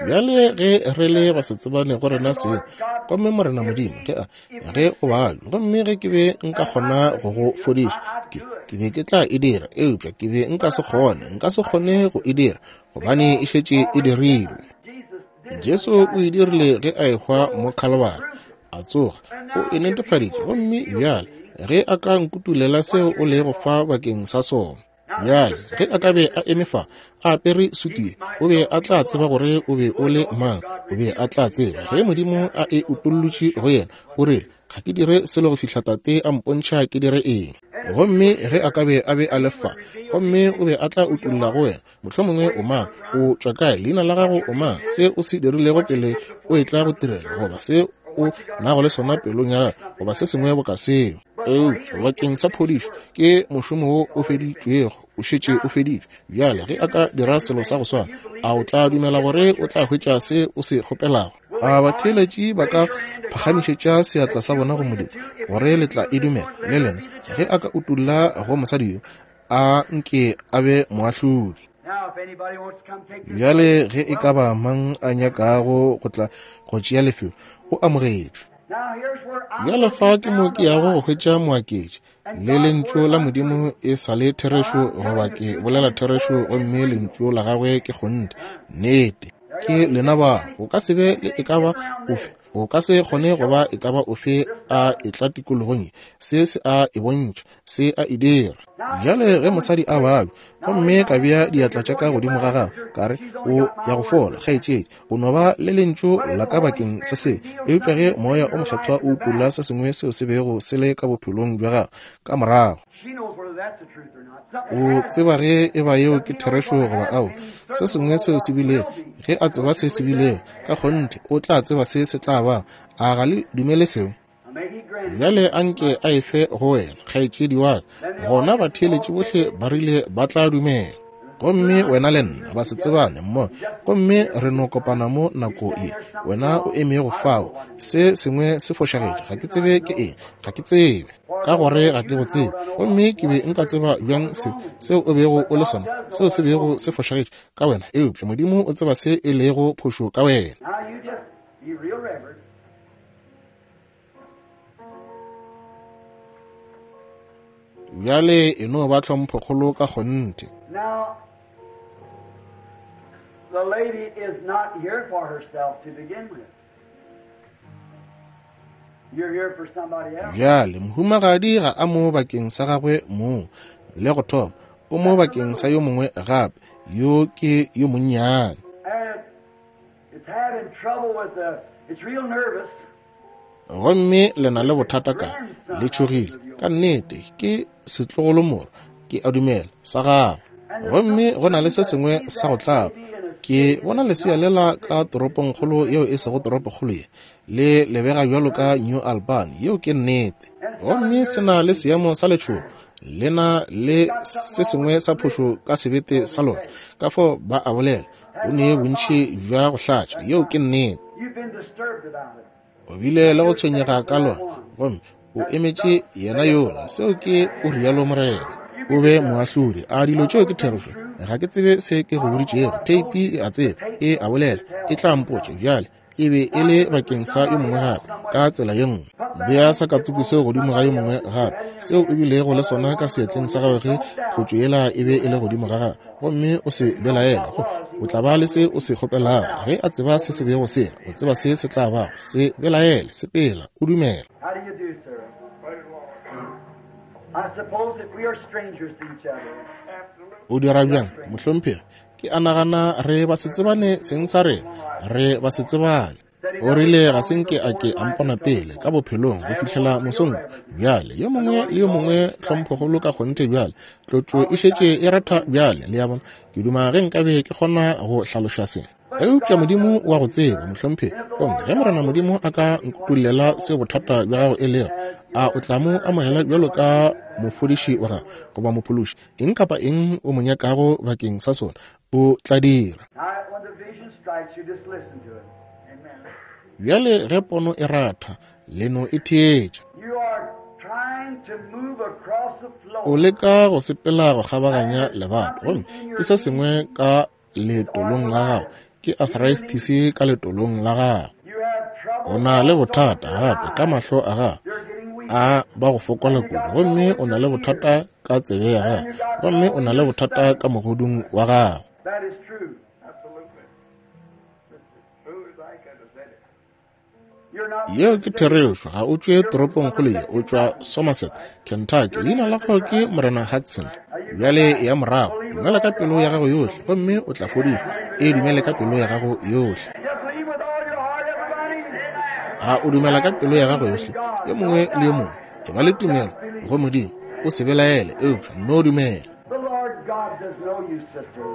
Bjale ge re le basetsebane go rena seng, gomme Morena Modimo, ge a ge o balwe, gomme ge ke be nka kgona go go fodiša, ke ke be ke tla e dira, eupša ke be nka se kgone, nka se kgone go e dira, gobane e šetše e dirilwe. Jesu o e dirile ge a ehwa mo Khalibari, a tsoga, o e netefaditše, gomme bjale ge a ka nkutulela seo o lego fa bakeng sa sona. Bjale ge a ka be a eme fa a apere sutu ye, o be a tla tseba gore o be o le mang. O be a tla tseba ge Modimo a e utollotše go yena. O rile, ga ke dire selo go fihla Tate a mpontšha ke dire eng. Gomme ge a ka be a be a le fa, gomme o be a tla utolla go wena, mohlomongwe o mang, o tšwa kae, leina la gago o mang, se o se dirilego pele o etla go tirelo, goba se o nago le sona pelong ya gago, goba se sengwe boka seo. Eupša bakeng sa phodišo ke mošomo wo o feditšwego, o šetše o feditšwe. Bjale ge a ka dira selo sa go swana, a o tla dumela gore o tla hwetša se o se kgopelago? A batheeletši ba ka phagamišetša seatla sa bona go Modimo gore le tla e dumela le lena? Ge a ka utolla go mosadi yo, a nke a be moahlodi. Bjale ge e ka ba mang a nyakago go tla go tšea lefelo, o amogetšwe. Bjale fa ke mo ke yago go hwetša moaketši, le lentšu la Modimo e sa le therešo, goba ke bolela therešo gomme lentšu la gagwe ke kgonthe. Nnete. Ke lena ba, go ka se be le e ka ba ofe, go ka se kgone go ba e ka ba ofe a etla tikologong ye. Se se a e bontšha, se a e dira. Bjale ge mosadi a babja, gomme ka bea diatla tša ka godimo ga gagwe, ka re, o ya go fola, kgaetšedi, o no ba le lentšu la ka bakeng sa se. Eupša ge Moya o Mokgethwa o utolla se sengwe seo se bego se le ka bophelong bja gagwe ka morago, o tseba ge e ba yeo ke therešo goba ao, se sengwe seo se bilego, ge a tseba se se bilego, ka kgonthe o tla tseba se se tla ba. A ga le dumele seo? Bjale anke a efe go wena, kgaetšedi wa ka. Gona batheeletši bohle ba rile ba tla dumela. Gomme wena le nna ba se tsebane mmogo, gomme re no kopana mo nako ye. Wena o emego fao, se sengwe se fošagetše, ga ke tsebe ke eng, ga ke tsebe, ka gore ga ke go tsebe. Gomme ke be nka tseba bjang se seo o bego o le sona, seo se bego se fošagetše ka wena? Eupša Modimo o tseba se e lego phošo ka wena. Bjale e no ba tlhomphokgolo ka kgonthe. Now, the lady is not here for herself to begin with. You're here for somebody else. Bjale mohumagadi ga a mo bakeng sa gagwe mong, le go thoma, o mo bakeng sa yo mongwe gape, yo ke yo monnyane. And it's having trouble with the, it's real nervous. Gomme le na le bothata ka, le tšhogile, ka nnete, ke setlogolomorwa, ke a dumela, sa gagwe. Gomme go na le se sengwe sa go tlaba. Ke bona lesea lela ka toropongkgolo yeo e sego toropokgolo ye, le lebega bjalo ka New Albany, yeo ke nnete. Gomme se na le seemo sa letšhogo, le na le se sengwe sa phošo ka sebete sa lona, ka fao ba a bolela, o ne bontši bja go hlatša, yeo ke nnete. You've been disturbed about it. O bile le go tshwenyega ka lona, gomme o emetše yena yola. Seo ke o rialo Morena. O be moahlodi. A dilo tšeo ke therešo? Ga ke tsebe se ke go boditšego. Theipi e a tseba, e a bolela, e tla mpotša. Bjale e be e le bakeng sa yo mongwe gape, ka tsela ye nngwe. Bea sakatuku seo godimo ga yo mongwe gape, seo e bilego le sona ka seatleng sa gagwe ge tlotšo yela e be e le godimo ga gagwe, gomme o se belaele. O tla ba le se o se kgopelago. Ge a tseba se se bego se, o tseba se se tla bago. Se belaele, sepela, o dumela. How do you do, sir? I suppose that we are strangers to each other. O dira bjang, mohlomphegi? Ke a nagana re ba se tsebane seng sa rena, re ba se tsebane. O rile ga se nke a ke a mpona pele ka bophelong go fihlela mosong. Bjale yo mongwe le yo mongwe tlhomphokgolo ka kgonthe bjale, tlotšo e šetše e ratha bjale, le a bona. Ke duma ge nkabe ke kgona go hlaloša se. Eupša Modimo wa go tseba, mohlomphegi. Gomme ge Morena Modimo a ka nkutollela seo bothata bja gago e lego, a o tla mo amogela bjalo ka mofodiši wa gago goba mophološi? Eng kapa eng o mo nyakago bakeng sa sona, o tla dira. Now, when the vision strikes you, just listen to it. Amen. Bjale ge pono e ratha, le no e theetša. You are trying to move across the O floor. leka go sepela go kgabaganya lebato, gomme ke se sengwe ka letolong la gago, ke arthritis ka letolong la gago. You have trouble. O na le bothata gape ka mahlo a gago, You're getting weak. a ba go fokola kudu, gomme o na le bothata ka tsebe ya gago, gomme o na le bothata ka mogodung wa gago. That is true. Absolutely. True as I could have said it. You're not Yeo ke therešo. Ga o tšwe toropongkgolo ye, o tšwa Somerset, Kentucky. Leina la gago ke Morena Hudson. Bjale ya morago, dumela ka pelo ya gago yohle, gomme o tla fodišwa. E dumele ka pelo ya gago yohle. Just believe with all your heart, everybody. A o dumela ka pelo ya gago yohle? Yo mongwe le yo mongwe, e ba le tumelo go Modimo. O se belaele, eupša nno dumela. The Lord God does know you, sister.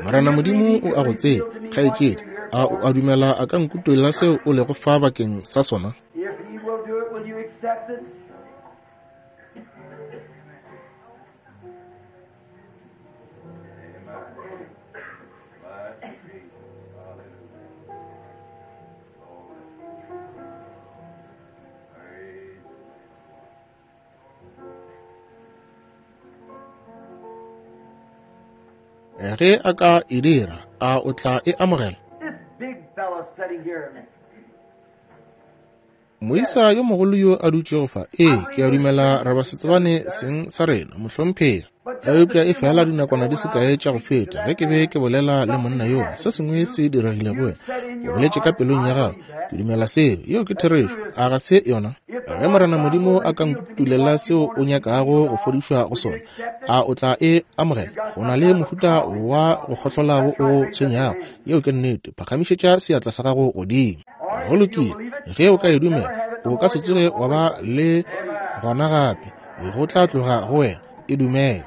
Morena Modimo o a go tseba, kgaetšedi. A o a dumela a ka nkutolla seo o lego fa bakeng sa sona? If He will do it, will you accept it? Ge a ka e dira, a o tla e amogela? This big fella sitting here. Moisa yo mogolo yo a dutšego fa, ee, ke a dumela re ba se tsebane seng sa rena, mohlomphegi. Eupša e fela dinakwana di se kae tša go feta ge ke be ke bolela le monna yola, se sengwe se diregile go wena. O boletše ka pelong ya gago, ke dumela seo, yeo ke therešo, a ga se yona? Ge Morena Modimo a ka nkutulela seo o nyakago go fodišwa go sona, a o tla e amogela? O na le mohuta wa go kgohlola wo o tshwenyago, yeo ke nnete. Phagamišetša seatla sa gago godimo. Go lokile, ge o ka e dumela, o ka se tsoge wa ba le gona gape, go tla tloga go wena. E dumela.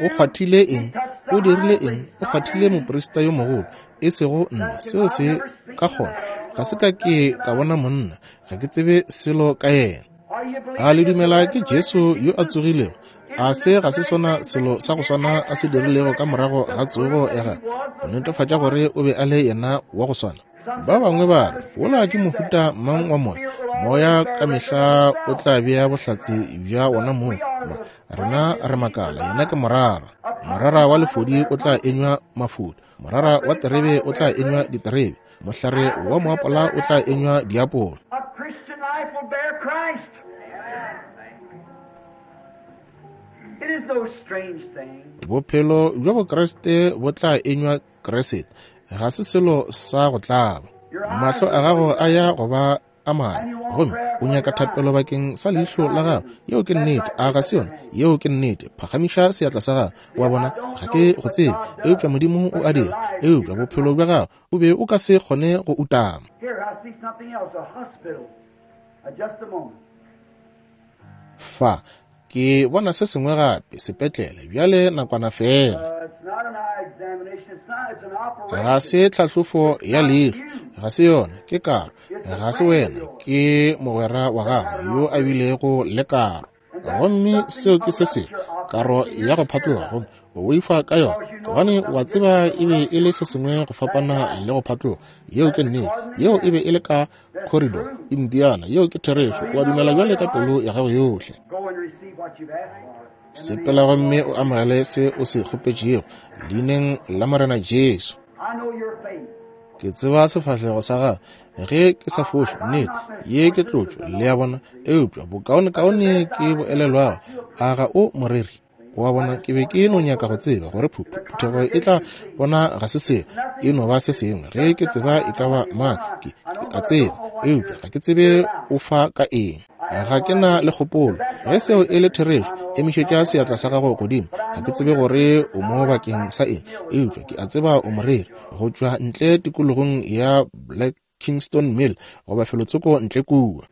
O kgwathile eng? O dirile eng? O kgwathile moprista yo mogolo, e sego nna. Seo se ka kgona. Ga se ka ke ka bona monna, ga ke tsebe selo ka yena. A le dumela ke Jesu yo a tsogilego? A se ga se sona selo sa go swana a se dirilego ka morago ga tsogo ya gagwe, go netefatša gore o be a le yena wa go swana? Ba bangwe ba re, wola ke mohuta mang wa moya? Moya ka mehla o tla bea bohlatse bja wona mong. Rena re makala, yena ke morara. Morara wa lefodi o tla enywa mafodi, morara wa terebe o tla enywa diterebe, mohlare wa moapola o tla enywa diapola. Bophelo bja Bokriste bo tla enywa Kriste. Ga se selo sa go tlaba. Mahlo a gago a ya go ba a mane, gomme o nyaka thapelo bakeng sa leihlo la gago. Yeo ke nnete, a ga se yona? Yeo ke nnete. Phagamiša seatla sa gago. Wa bona, ga ke go tsebe, eupša Modimo o a dira. Eupša bophelo bja gago o be o ka se kgone go utama. Fa ke bona se sengwe gape, sepetlele. Bjale nakwana fela. Ga se tlhahlofo ya leihlo, ga se yona, ke karo. Ga se wena, ke mogwera wa gago yo a bilego le karo. Gomme seo ke se sengwe, karo ya go phatloga, gomme o boifa ka yona, gobane wa tseba e be e le se sengwe go fapana le go phatloga. Yeo ke nnete. Yeo e be e le ka Corridor, Indiana. Yeo ke therešo. O a dumela bjale ka pelo ya gago yohle. Sepela gomme o amogele se o se kgopetšego leineng la Morena Jesu. Ke tseba sefahlego sa gago, ge ke sa foše, nnete, ye ke tlotšo, le a bona. Eupša bokaonekaone ke bo elelwago, a ga o moreri? Wa bona, ke be ke no nyaka go tseba gore phuthego e tla bona ga se selo, e no ba se sengwe. Ge ke tseba e ka ba mang, ke a tseba, eupša ga ke tsebe o fa ka eng. Ga ke na le kgopolo. Ge seo e le therešo, emišetša seatla sa gago godimo. Ga ke tsebe gore o mo bakeng sa eng, eupša ke a tseba o moreri go tšwa ntle tikologong ya Black Kingston Mill goba felotsoko ntle kua.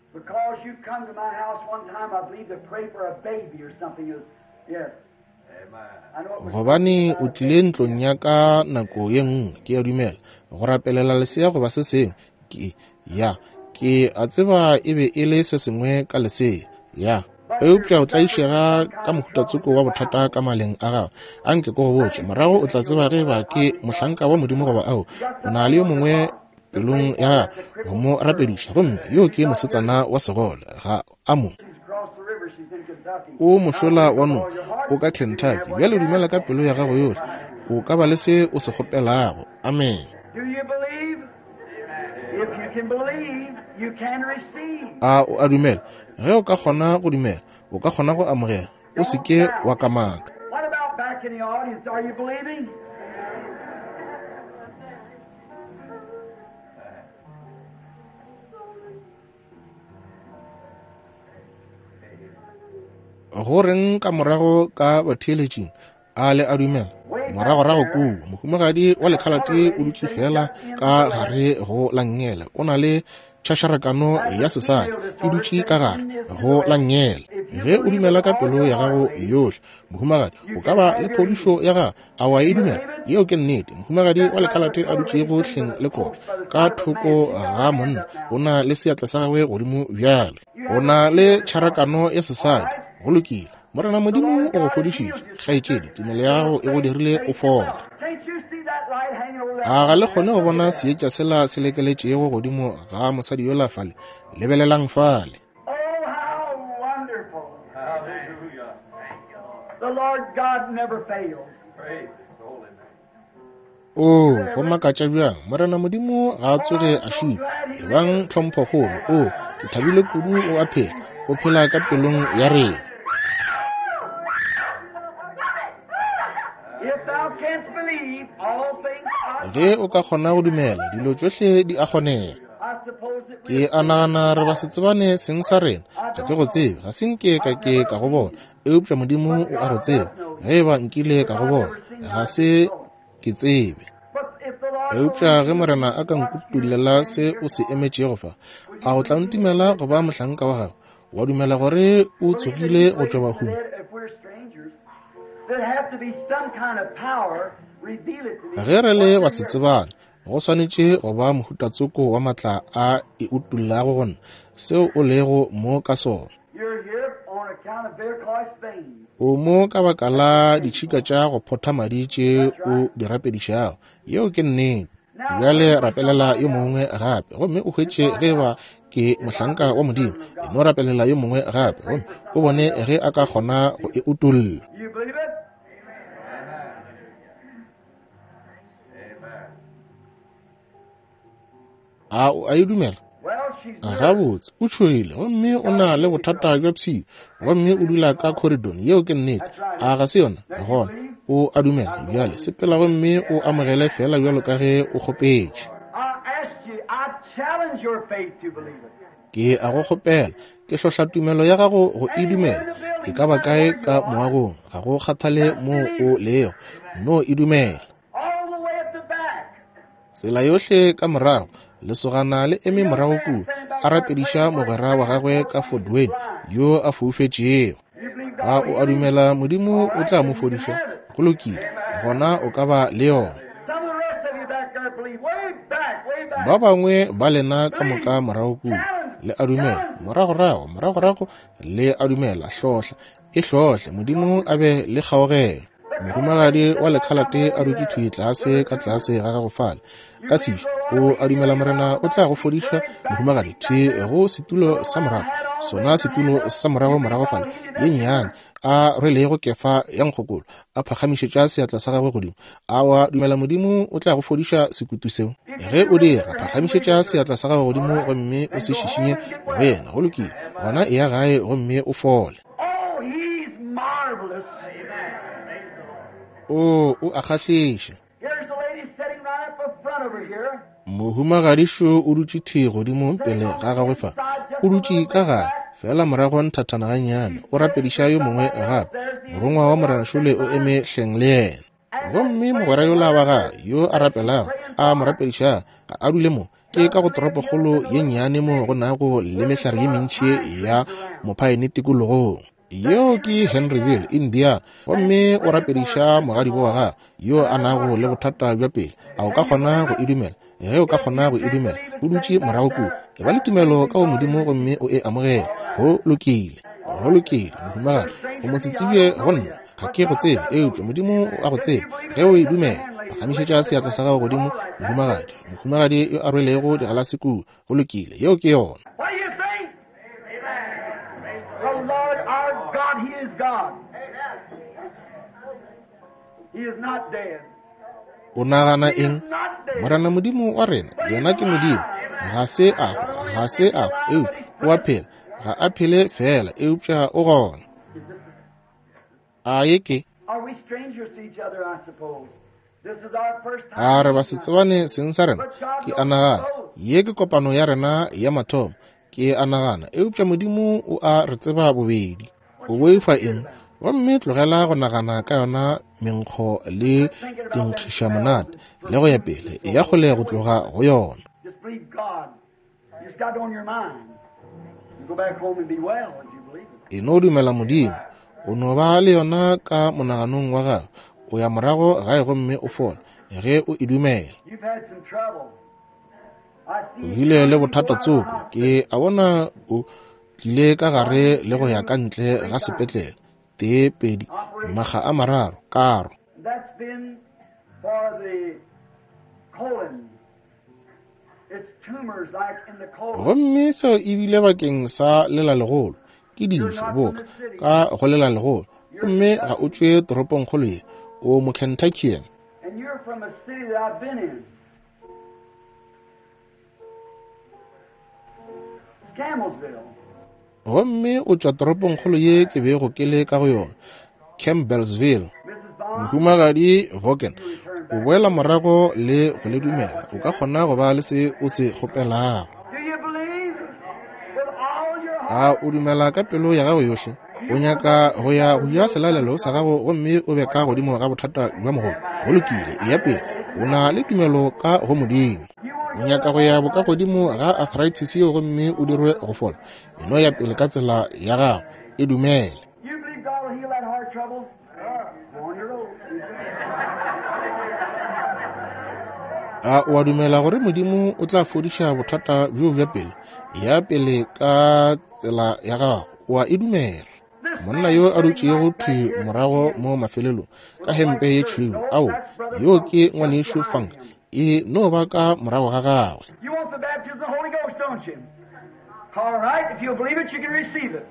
Gobane o tlile ntlong ya ka nako ye nngwe, ke a dumela, go rapelela lesea goba se sengwe. Ke ya, ke a tseba e be e le se sengwe ka lesea. Ya, eupša o tlaišega ka mohutatsoko wa bothata ka maleng a gago. Anke ko go botše, morago o tla tseba ge ba ke mohlanka wa Modimo goba ao. O na le yo mongwe pelong ya gago go mo rapediša, gomme yo ke mosetsana wa segole, ga a mo. O mošola wa no, o ka Kentucky. Bjale dumela ka pelo ya gago yohle, o ka ba le se o se kgopelago. Amen. A o a dumela? Ge o ka kgona go dumela, o ka kgona go amogela. O se ke wa kamaka. Go reng ka morago ka batheeletšing? A le a dumela? Moragorago kua, mohumagadi wa lekhalate o dutše fela ka gare go la nngele. O na le tšhašarakano ya sesadi, e dutše ka gare go la nngele. Ge o dumela ka pelo ya gago yohle, mohumagadi, o ka ba le phodišo ya gago. A wa e dumela? Yeo ke nnete. Mohumagadi wa lekhalate a dutšego hleng le kota ka thoko ga monna, o na le seatla sa gagwe godimo bjale. O na le tšharakano ya sesadi. Go lokile. Morena Modimo o go fodišitše, kgaetšedi. Tumelo ya gago e go dirile o fole. A ga le kgone go bona seetša sela se lekeletšego godimo ga mosadi yola fale? Lebelelang fale. O, go makatša bjang, Morena Modimo ga a tsoge a šupa. Ebang tlhomphokgolo. O, ke thabile kudu o a phela. O phela ka pelong ya rena. Ge o ka kgona go dumela, dilo tšohle di a kgonega. Ke a nagana re ba se tsebane seng sa rena. Ga ke go tsebe, ga se nke ka ke ka go bona. Eupša Modimo o a go tseba. Ge eba nkile ka go bona, ga se ke tsebe. Eupša ge Morena a ka nkutullela se o se emetšego fa, a o tla ntumela go ba mohlanka wa gagwe? Wa dumela gore o tsogile go tšwa bahung? Ge re le ba se tsebane, go swanetše go ba mohutatsoko wa matla a e utullago go nna seo o lego mo ka sona. O mo ka baka la ditšhika tša go photha madi tše o di rapedišago. Yeo ke nnete. Bjale rapelela yo mongwe gape gomme o hwetše ge ba ke mohlanka wa Modimo. E no rapelela yo mongwe gape gomme o bone ge a ka kgona go e utolla. A o a e dumela? Gabotse, o tšhogile gomme o na le bothata bja pshio gomme o dula ka corridor. Yeo ke nnete. A ga se yona? Gona o a dumela. Bjale sepela gomme o amogele fela bjalo ka ge o kgopetše. Ke a go kgopela, ke hlohla tumelo ya gago go e dumela. E ka ba kae ka moagong, ga go kgathale mo o lego, no e dumela. Tsela yohle ka morago, lesogana le eme morago kua, a rapediša mogwera wa gagwe ka Fort Wayne yo a foufetšego. A o a dumela Modimo o tla mo fodiša? Go lokile, gona o ka ba le yona. Ba bangwe ba lena ka moka morago kua, le a dumela. Moragorago, moragorago, le a dumela. Hlohla, e hlohle, Modimo a be le kgaogelo. Mohumagadi wa lekhalate a dutše thwi tlase ka tlase ga gago fale ka sešo. O a dumela Morena o tla go fodiša, mohumagadi? Thwi go setulo sa morago, sona setulo sa morago morago fale ye nnyane, a rwelego kefa ya nkgokolo, a phagamišetša seatla sa gagwe godimo. A wa dumela Modimo o tla go fodiša sekutu seo? Ge o dira, phagamišetša seatla sa gago godimo gomme o se šišinye go yena. Go lokile, gona e ya gae gomme o fole. O, o a kgahliša. Mohumagadišo o dutše thwi godimo pele ga gagwe fa. O dutše ka gare fela morago nthathana gannyane, o rapediša yo mongwe gape. Morongwa wa Morena šole o eme hleng le yena. Gomme mogwera yola wa gagwe yo a rapelago, a mo rapediša, ga a dule mo. Ke ka go toropokgolo ye nnyane mo go nago le mehlare ye mentši ya mophaene tikologong. Yeo ke Henryville, Indiana. Gomme o rapediša mogadibo wa gagwe yo a nago le bothata bja pele. A o ka kgona go e dumela? Ge o ka kgona go e dumela, o dutše morago kua. E ba le tumelo ka go Modimo gomme o e amogele. Go lokile, go lokile, mohumagadi. O mo tsetsebje go nna, ga ke go tsebe, eupša Modimo o a go tseba. Ge o e dumela, phagamišetša seatla sa gago godimo, mohumagadi. Mohumagadi yo a rwelego digalase kua. Go lokile, yeo ke yona. God, He is God. He is not dead. O nagana eng? Morena Modimo wa rena, yena ke Modimo. Ga se a hwa, ga se a hwa, eupša o a phela. Ga a phele fela, eupša o gona. A ye ke? A re ba se tsebane seng sa rena? Ke a nagana ye ke kopano ya rena ya mathomo. Ke a nagana, eupša Modimo o a re tseba bobedi. O boifa eng? Gomme tlogela go nagana ka yona menkgo le dinkgišamonate le go ya pele, e ya kgole go tloga go yona. E no dumela Modimo, o no ba le yona ka monaganong wa gago. O ya morago gae gomme o fole ge o e dumela. O bile le bothata tsoko, ke a bona o tlile ka gare le go ya ka ntle ga sepetlele. Tee, pedi, makga a mararo, karo. Gomme seo e bile bakeng sa lela legolo, ke dišo boka ka go lela legolo. Gomme ga o tšwe toropongkgolo ye, o mo Kentuckian. And you're from a city that I've been in. It's Campbellsville. Gomme o tšwa toropongkgolo ye ke bego ke le ka go yona, Campbellsville. Mohumagadi Vaughan, o boela morago le go le dumela. O ka kgona go ba le se o se kgopelago. Do you believe with all your A o dumela ka pelo ya gago yohle? O nyaka go ya go ja selalelo sa gago gomme o be ka godimo ga bothata bja mogodu. Go lokile, eya pele. O na le tumelo ka go Modimo. O nyaka go ya bokagodimo ga arthritis yeo gomme o dirwe go fola. E no ya pele ka tsela ya gago, e dumele. You believe God will heal that heart trouble? Go on your road. A o a dumela gore Modimo o tla fodiša bothata bjo bja pele? Ya pele ka tsela ya gago, o a e dumela. Monna yo a dutšego thwi morago mo mafelelong ka hempe ye tšhweu, ao, yo ke ngwanešu Funk, e no ba ka morago ga gagwe. You want the baptism of the Holy Ghost, don't you? All right, if you'll believe it, you can receive it.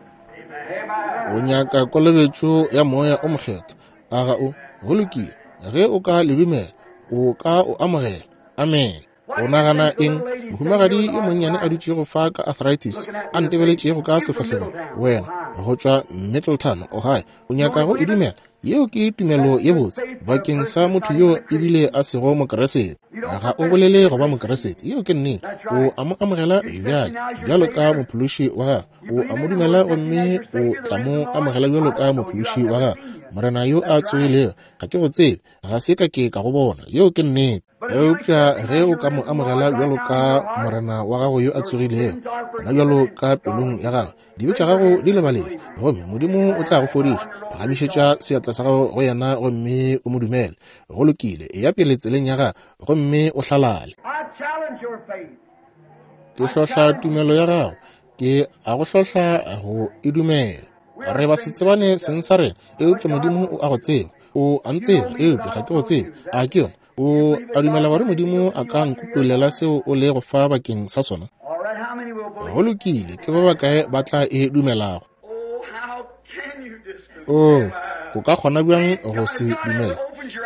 Amen. O nyaka kolobetšo ya moya o mokgethwa, a ga o? Go lokile, ge o ka le dumela, o ka o amogela. Amen. O nagana eng? Mohumagadi yo monnyane a dutšego fa ka arthritis, a ntebeletšego ka sefahlegong, wena go tšwa Middletown, Ohio, o nyaka go e dumela? Yeo ke tumelo ye botse bakeng sa motho yo ebile a sego mokeresete. Ga o bolele go ba mokeresete, yeo ke nnete. O a mo amogela bjale bjalo ka mophološi wa gago, o a mo dumela gomme o tla mo amogela bjalo ka mophološi wa gago. Morena yo a tsogilego, ga ke go tsebe, ga se ka ke ka go bona, yeo ke nnete. Eupša ge o ka mo amogela bjalo ka morena wa gago yo a tsogilego, gona bjalo ka pelong ya gago, dibe tša gago di lebaletšwe, gomme Modimo o tla go fodiša. Phagamišetša seatla sa gago go yena gomme o mo dumele. Go lokile, eya pele tseleng ya gago gomme o hlalale. I challenge your faith. Ke hlohla tumelo ya gago, ke a go hlohla go e dumela. Re ba se tsebane seng sa rena, eupša Modimo o a go tseba. O a ntseba, eupša ga ke go tsebe. A ke yona? O a dumela gore Modimo a ka nkutolela seo o lego fa bakeng sa sona? All right, how many will believe? Go lokile, ke ba bakae ba tla e dumelago? Oh, how can you disbelieve? O, o ka kgona bjang go se dumela?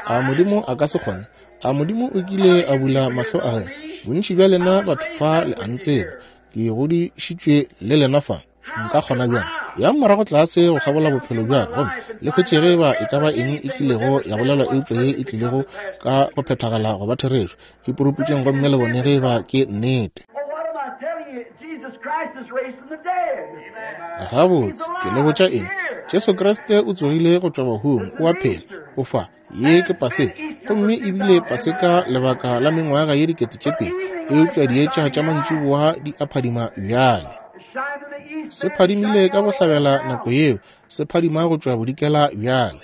A Modimo a ka se kgone? A Modimo o kile a bula mahlo a gagwe? Bontši bja lena batho fa le a ntseba, ke godišitšwe le lena fa. Nka kgona bjang? Yang morago tlase go kgabola bophelo bja ka gomme le hwetše ge eba e ka ba eng e kilego ya bolelwa eupša ye e tlilego ka go phethagala go ba therešo. Iporuputšeng gomme le bone ge eba ke nnete. Well, what am I telling you? Jesus Christ is raised from the dead. Gabotse, ke le botša eng? Jesu Kriste o tsogile go tšwa bahung, o a phela, o fa. Ye ke Paseka, gomme ebile Paseka lebaka la mengwaga ye dikete tše pedi, eupša dietša tša mantšiboa di a phadima bjale. It shined in the east. Se phadimile ka bohlabela nako yeo, se phadima go tšwa bodikela bjale.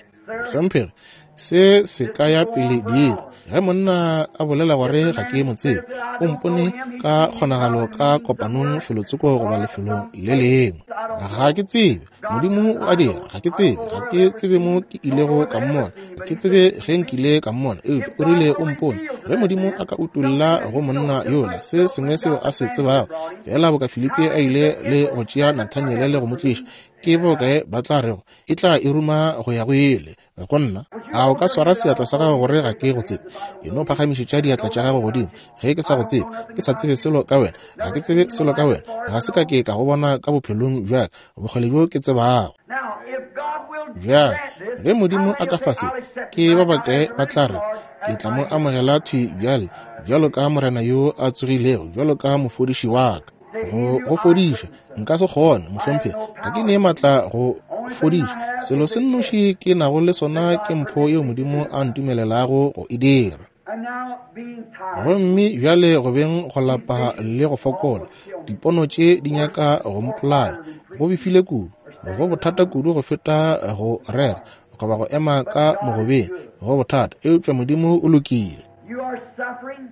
Hlomphegi, se se ka ya pele diiri. Ge monna a bolela gore ga ke mo tsebe, o mpone ka kgonagalo ka kopanong felotsoko goba lefelong le lengwe. Ga ke tsebe, Modimo o a dira, ga ke tsebe, ga ke tsebe mo ke ilego ka mmona, ga ke tsebe ge nkile ka mmona, eupša o rile o mpone. Ge Modimo a ka utolla go monna yola se sengwe seo a se tsebago, fela boka Filipi a ile le go tšea Nathaniele le go mo tliša, ke bokae ba tla rego e tla e ruma go ya go ile go nna? A o ka swara seatla sa gago gore ga ke go tsebe? E no phagamišetša diatla tša gago godimo ge ke sa go tsebe, ke sa tsebe selo ka wena, ga ke tsebe selo ka wena, ga se ka ke ka go bona ka bophelong bja ka, bokgole bjo ke tsebago. Now, if God will Bjale, grant this, ge Modimo how a ka many fa will se, say, I'll accept ke it ba right now bakae as the ba tla risen re, Lord, ke as tla mo my amogela thwi bjale bjalo ka morena yo a tsogilego, bjalo ka mofodiši wa ka. Go go fodiša nka se kgone, mohlomphegi, ga ke ne maatla go fodiša. Selo se nnoši ke nago le sona ke mpho yeo Modimo a ntumelelago go e dira. And now being tired, Gomme bjale go beng go lapa le go fokola, dipono tše di nyaka go mpolaya. Go befile kudu, go bothata kudu go feta go rera goba go ema ka mogobeng, go bothata, eupša Modimo o lokile. you are suffering.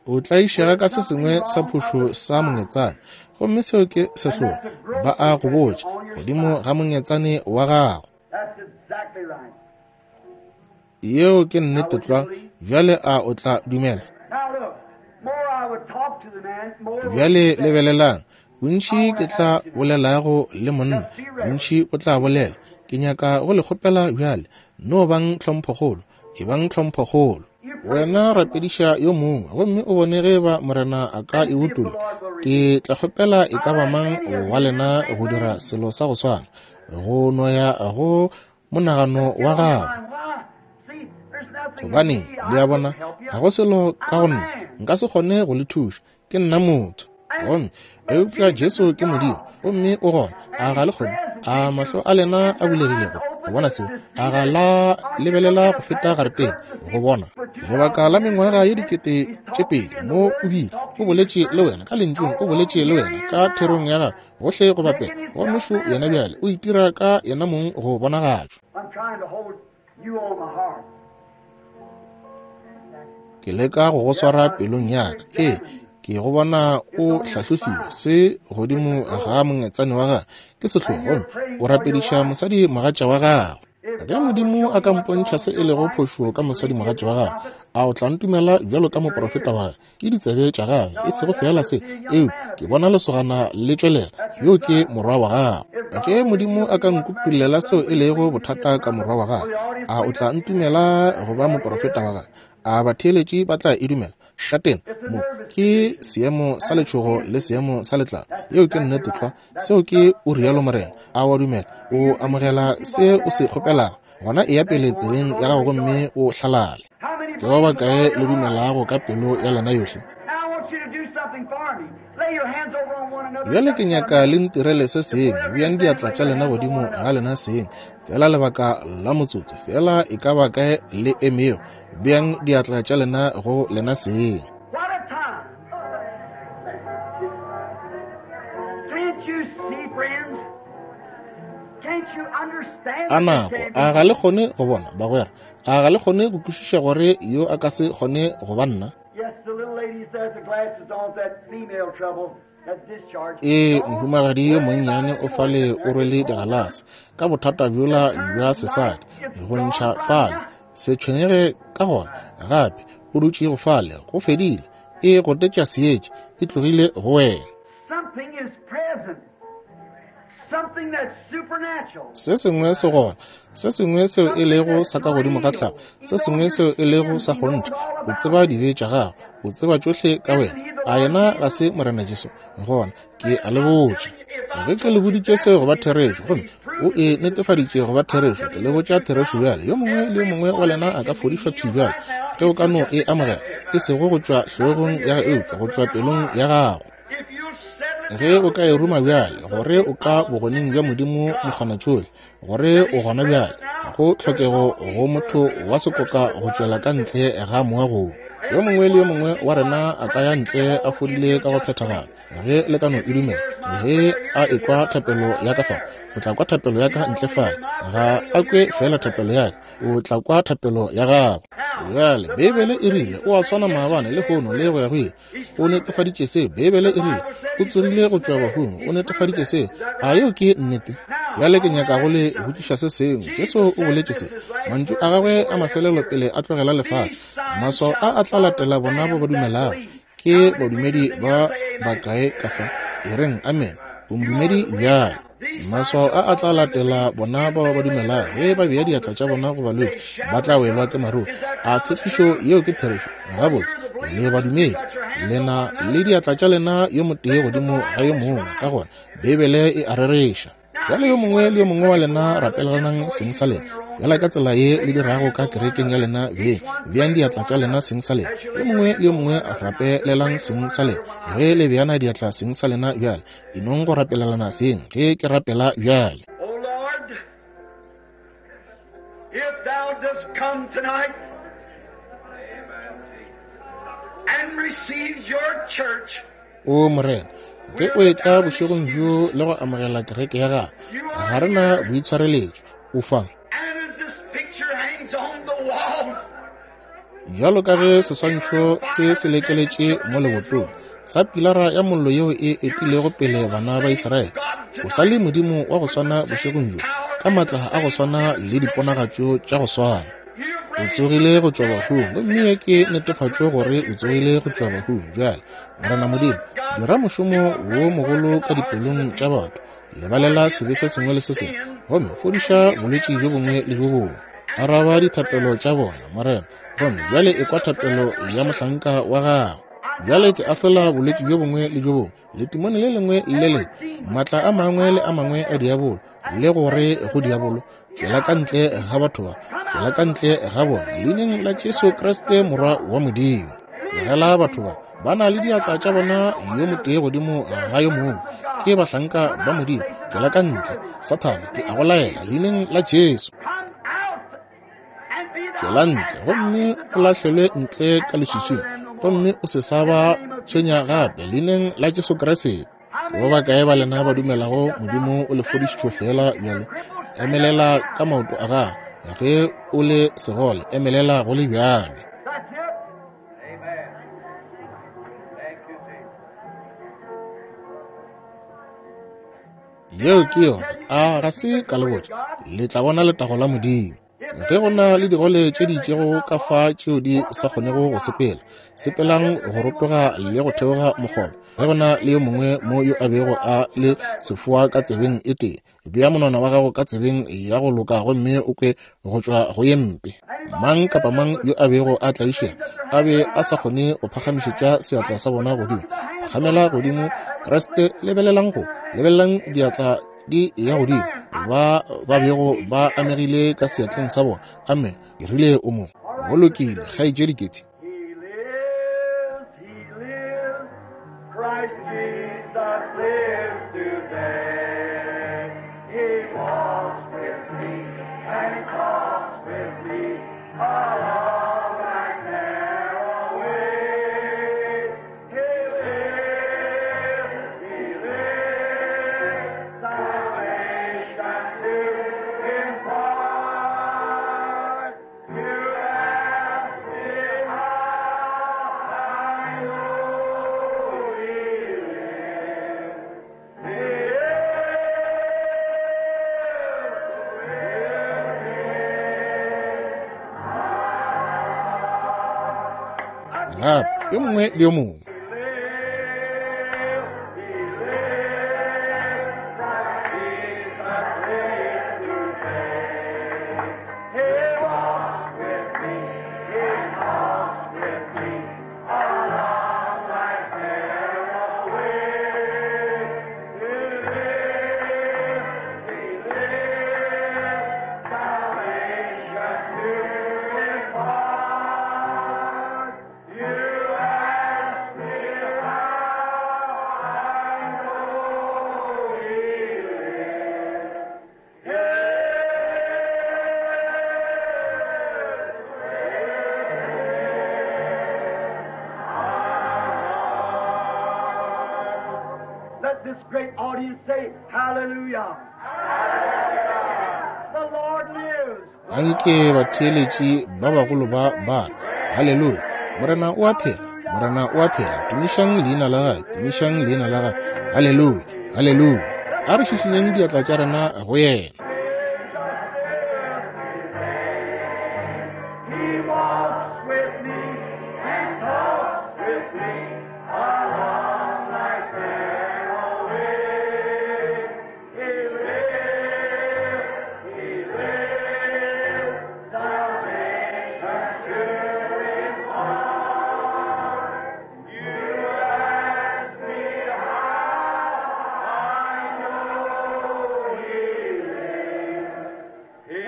O tlaišega ka se sengwe sa phošo sa mongetsane, gomme seo ke sehlogo. Ba a go botša godimo ga mongetsane wa gago. That's exactly right. Yeo ke nnete tlwa. Bjale a o tla dumela? Now look, more I would talk to the man, more would Bjale he say. lebelelang, bontši ke tla bolelago le monna, bontši o tla bolela. Ke nyaka go le kgopela bjale, no bang tlhomphokgolo. Ebang tlhomphokgolo. Wena rapediša yo mongwe, gomme o bone ge ba Morena a ka e utolla. Ke tla kgopela e ka ba mang wa lena go dira selo sa go swana, go noya go monagano wa gago. Gobaneng, le a bona, ga go selo ka go nna, nka se kgone go le thuša, ke nna motho. Gomme eupša Jesu ke Modimo, gomme o gona. A ga le kgone? A mahlo a lena a bulegilego go bona seo? A ga la lebelela go feta gareteng go bona? Lebaka la mengwaga ye dikete tše pedi mo o bile o boletše le wena ka lentšung, o boletše le wena ka therong ya gagwe gohle go bapela, gomme šo yena bjale o itira ka yena mong go bonagatšwa. Ke leka go go swara pelong ya ka. Ee, ke go bona o hlahlofiwe se godimo ga mongetsane wa gagwe ke sehlogo, gomme o rapediša mosadi mogatša wa gagwe. Ge Modimo a ka mpontšha se e lego phošo ka mosadi mogatša wa gagwe, a o tla ntumela bjalo ka moprofeta wa gagwe? Ke ditsebe tša gagwe, e sego fela se, eupša ke bona lesogana le tšwelela, yo ke morwa wa gagwe. Ge Modimo a ka nkutollela seo e lego bothata ka morwa wa gagwe, a o tla ntumela go ba moprofeta wa gagwe? A batheeletši ba tla e dumela? Šatena mo ke seemo sa letšhogo le seemo sa letlalo. Yeo ke nnete tlwa. Seo ke o rialo Morena. A wa dumela? O amogela se o se kgopelago, gona e ya pele tseleng ya gago gomme o hlalale. Ke ba bakae le dumelago ka pelo ya lena yohle? Bjale ke nyaka le ntirele se sengwe. Beang diatla tša lena godimo ga lena seng, fela lebaka la motsotso, fela e ka ba kae le emego. Beang diatla tša lena go lena seng. A nako, a ga le kgone go bona, bagwera? A ga le kgone go kwešiša gore yo a ka se kgone go ba nna? Ee, mohumagadi yo monnyane o fale o rwele digalase ka bothata bjola bja sesadi go ntšha fale. Se tshwenyege ka gona gape, o dutše go fale, go fedile. E gotetša seetša, e tlogile go wena. Se sengwe se gona, se sengwe seo e lego sa ka godimo ga tlhago, se sengwe seo e lego sa kgonthe. O tseba dibe tša gago, o tseba tšohle ka wena. A yena ga se Morena Jesu? Gona ke a le botša, ge ke le boditše seo go ba therešo, gomme o e netefaditše go ba therešo, ke le botša therešo bjale. Yo mongwe le yo mongwe wa lena a ka fodišwa thwi bjale, ge o ka no e amogela, e sego go tšwa hlogong ya gago, eupša go tšwa pelong ya gago. Ge o ka e ruma bjale, gore o ka bogoneng bja Modimo mokgonatšohle, gore o gona bjale, go tlhokego go motho wa sekoka go tšwela ka ntle ga moagong. Yo mongwe le yo mongwe wa rena a ka ya ntle a fodile ka go phethagala, ge le ka no e dumela. Ge a ekwa thapelo ya ka fa, o tla kwa thapelo ya ka ntle fale. Ga a kwe fela thapelo ya ka, o tla kwa thapelo ya gago. Bjale Beibele e rile o a swana maabane le hono le go ya go ile. O netefaditše seo. Beibele e rile o tsogile go tšwa bahung. O netefaditše seo. A yeo ke nnete? Bjale ke nyaka go le botšiša se sengwe. Jesu o boletše se, mantšu a gagwe a mafelelo pele a tlogela lefase. Maswao a a tla latela bona ba ba dumelago. Ke badumedi ba bakae ka fa? E reng amen. O modumedi bjale. Maswao a a tla latela bona bao ba dumelago. Ge ba bea diatla tša bona go balwetši, ba tla welwa ke maruru. A tshepišo yeo ke therešo? Gabotse, le badumedi, lena le diatla tša lena yo motee godimo ga yo mongwe, ka gona Beibele e a rereša. Bjale yo mongwe le yo mongwe wa lena rapelelanang seng sa lena, fela ka tsela ye le dirago ka kerekeng ya lena beng. Beang diatla tša lena seng sa lena. Yo mongwe le yo mongwe rapelelang seng sa lena. Ge le beana diatla seng sa lena bjale, e nong go rapelelana seng ge ke rapela bjale. O Lord, if thou dost come tonight and receive your church, O Morena, ge o etla bošegong bjo le go amogela kereke ya gago, ga re na boitshwareletšo, o fa. and as this picture hangs on the wall, Bjalo ka ge seswantšho se se lekeletše mo lebotong sa pilara ya mollo yeo e etilego pele bana ba Israele, o sa le Modimo wa go swana bošegong bjo, ka maatla a go swana le diponagatšo tša go swana. O tsogile go tšwa bahung, gomme ye ke netefatšo gore o tsogile go tšwa bahung. Bjale, Morena Modimo, dira mošomo wo mogolo ka dipelong tša batho, lebalela sebe se sengwe le se sengwe, gomme fodiša bolwetši bjo bongwe le bjo bongwe. Araba dithapelo tša bona, Morena, gomme bjale ekwa thapelo ya mohlanka wa gago. Bjale ke ahlola bolwetši bjo bongwe le bjo bongwe, letimone le lengwe le lengwe, maatla a mangwe le a mangwe a diabolo, le gore go diabolo, tšwela ka ntle ga batho ba, tšwela ka ntle ga bona, leineng la Jesu Kriste Morwa wa Modimo. Tlogela batho ba, ba na le diatla tša bona yo motee godimo ga yo mongwe, ke bahlanka ba Modimo. Tšwela ka ntle, Sathane, ke a go laela leineng la Jesu. Tšwela ntle gomme o lahlelwe ntle ka leswiswing, gomme o se sa ba tshwenya gape leineng la Jesu Kriste. Ke ba bakae ba lena ba dumelago Modimo o le fodišitšwe fela bjale? Emelela ka maoto a gago. Ge o le segole, emelela go le bjalo. That's it. Amen. Thank you, Jesus. Yeo ke yona. A ga se ka le botša, le tla bona letago la Modimo. Ge go na le digole tše di itšego ka fa tšeo di sa kgonego go sepela, sepelang go rotoga le go theoga mokgoba. Ge go na le yo mongwe mo yo a bego a le sefoa ka tsebeng e tee, bea monwana wa gago ka tsebeng ya go loka gomme o kwe go tšwa go ye mpe. Mang kapa mang yo a bego a tlaišega a be a sa kgone go phagamišetša seatla sa bona godimo, phagamela godimo Kriste. Lebelelang go, lebelelang diatla di ya godimo, ba ba bego ba amegile ka seatleng sa bona. Amen. Ke rile o mo go lokile, kgaetšedi Ketty. He lives, he lives. Christ Jesus lives today. He walks with me and he talks with me along that narrow way. He lives, he lives, salvation to impart. You ask me how I know he lives. He lives. Gape yo mongwe le yo mongwe. Let this great audience say, Hallelujah. The Lord lives. Anke batheeletši ba bagolo ba ba re, Haleluya, Morena o a phela, Morena o a phela. Tumišang leina la gagwe, tumišang leina la gagwe. Haleluya, haleluya. A re šišinyeng diatla tša rena go yena. He walks with me and talks with me along life's narrow way. He lives, he lives, salvation to impart. You ask me how I know he lives. He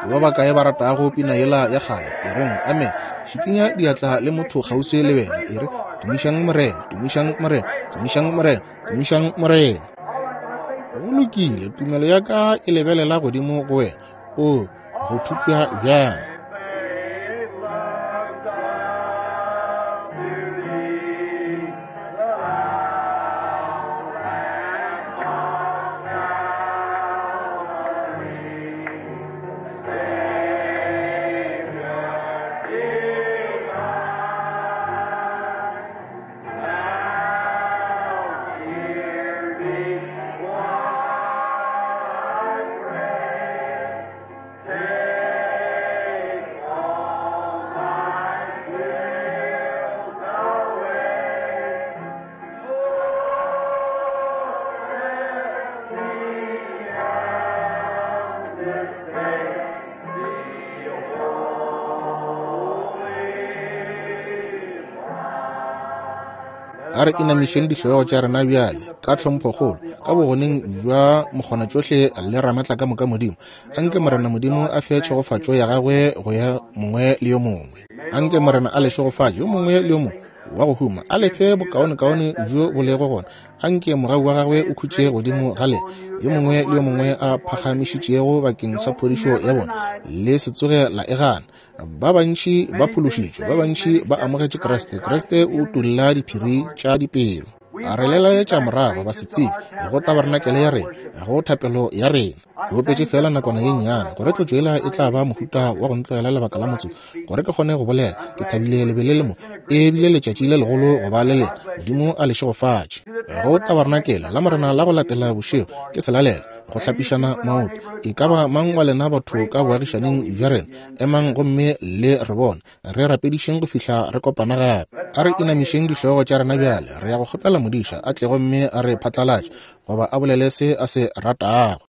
Ke ba bakae ba ratago pina yela ya kgale? E reng amen. Šikinya diatla le motho kgauswi le wena. E re, tumišang Morena, tumišang Morena, tumišang Morena, tumišang Morena. Go lokile, tumelo ya ka e lebelela godimo go wena. O go thupša bjang. Faith loves up to thee, the Lamb of Calvary, Savior divine. Now hear me while I pray. Take A re inamišeng dihlogo tša rena bjale ka tlhomphokgolo ka bogoneng bja mokgonatšohle le Ramatlakamoka Modimo. Anke Morena Modimo a fe tšhegofatšo ya gagwe go ya mongwe le yo mongwe. Anke Morena a le šegofatše yo mongwe le yo mongwe wa go huma, a le fe bokaonekaone bjo bo lego gona. Anke mogau wa gagwe o khutše godimo ga lena, yo mongwe le yo mongwe a phagamišitšego bakeng sa phodišo ya bona, le se tsoge la e gana. Ba bantši ba phološitšwe, ba bantši ba amogetše Kriste. Kriste o utolla diphiri tša dipelo. A re lelaetša morago ba se tsebe go tabarenakele ya rena, go thapelo ya rena. Ke opetše fela nakwana ye nnyane gore tlotšo yela e tla ba mohuta wa go ntlogela lebaka la motsotso gore ke kgone go bolela. Ke thabile le be le le mo, e bile letšatši le legolo go ba le lena. Modimo a le šegofatše. Go tabarenakele la Morena la go latela bošego ke selalelo, go hlapišana maoto. E ka ba mang wa lena batho ka boagišaneng bja rena, emang gomme le re bone, re rapedišeng go fihla re kopana gape. A re inamišeng dihlogo tša rena bjale. Re ya go kgopela modiša a tle gomme a re phatlalatše, goba a bolele se a se ratago.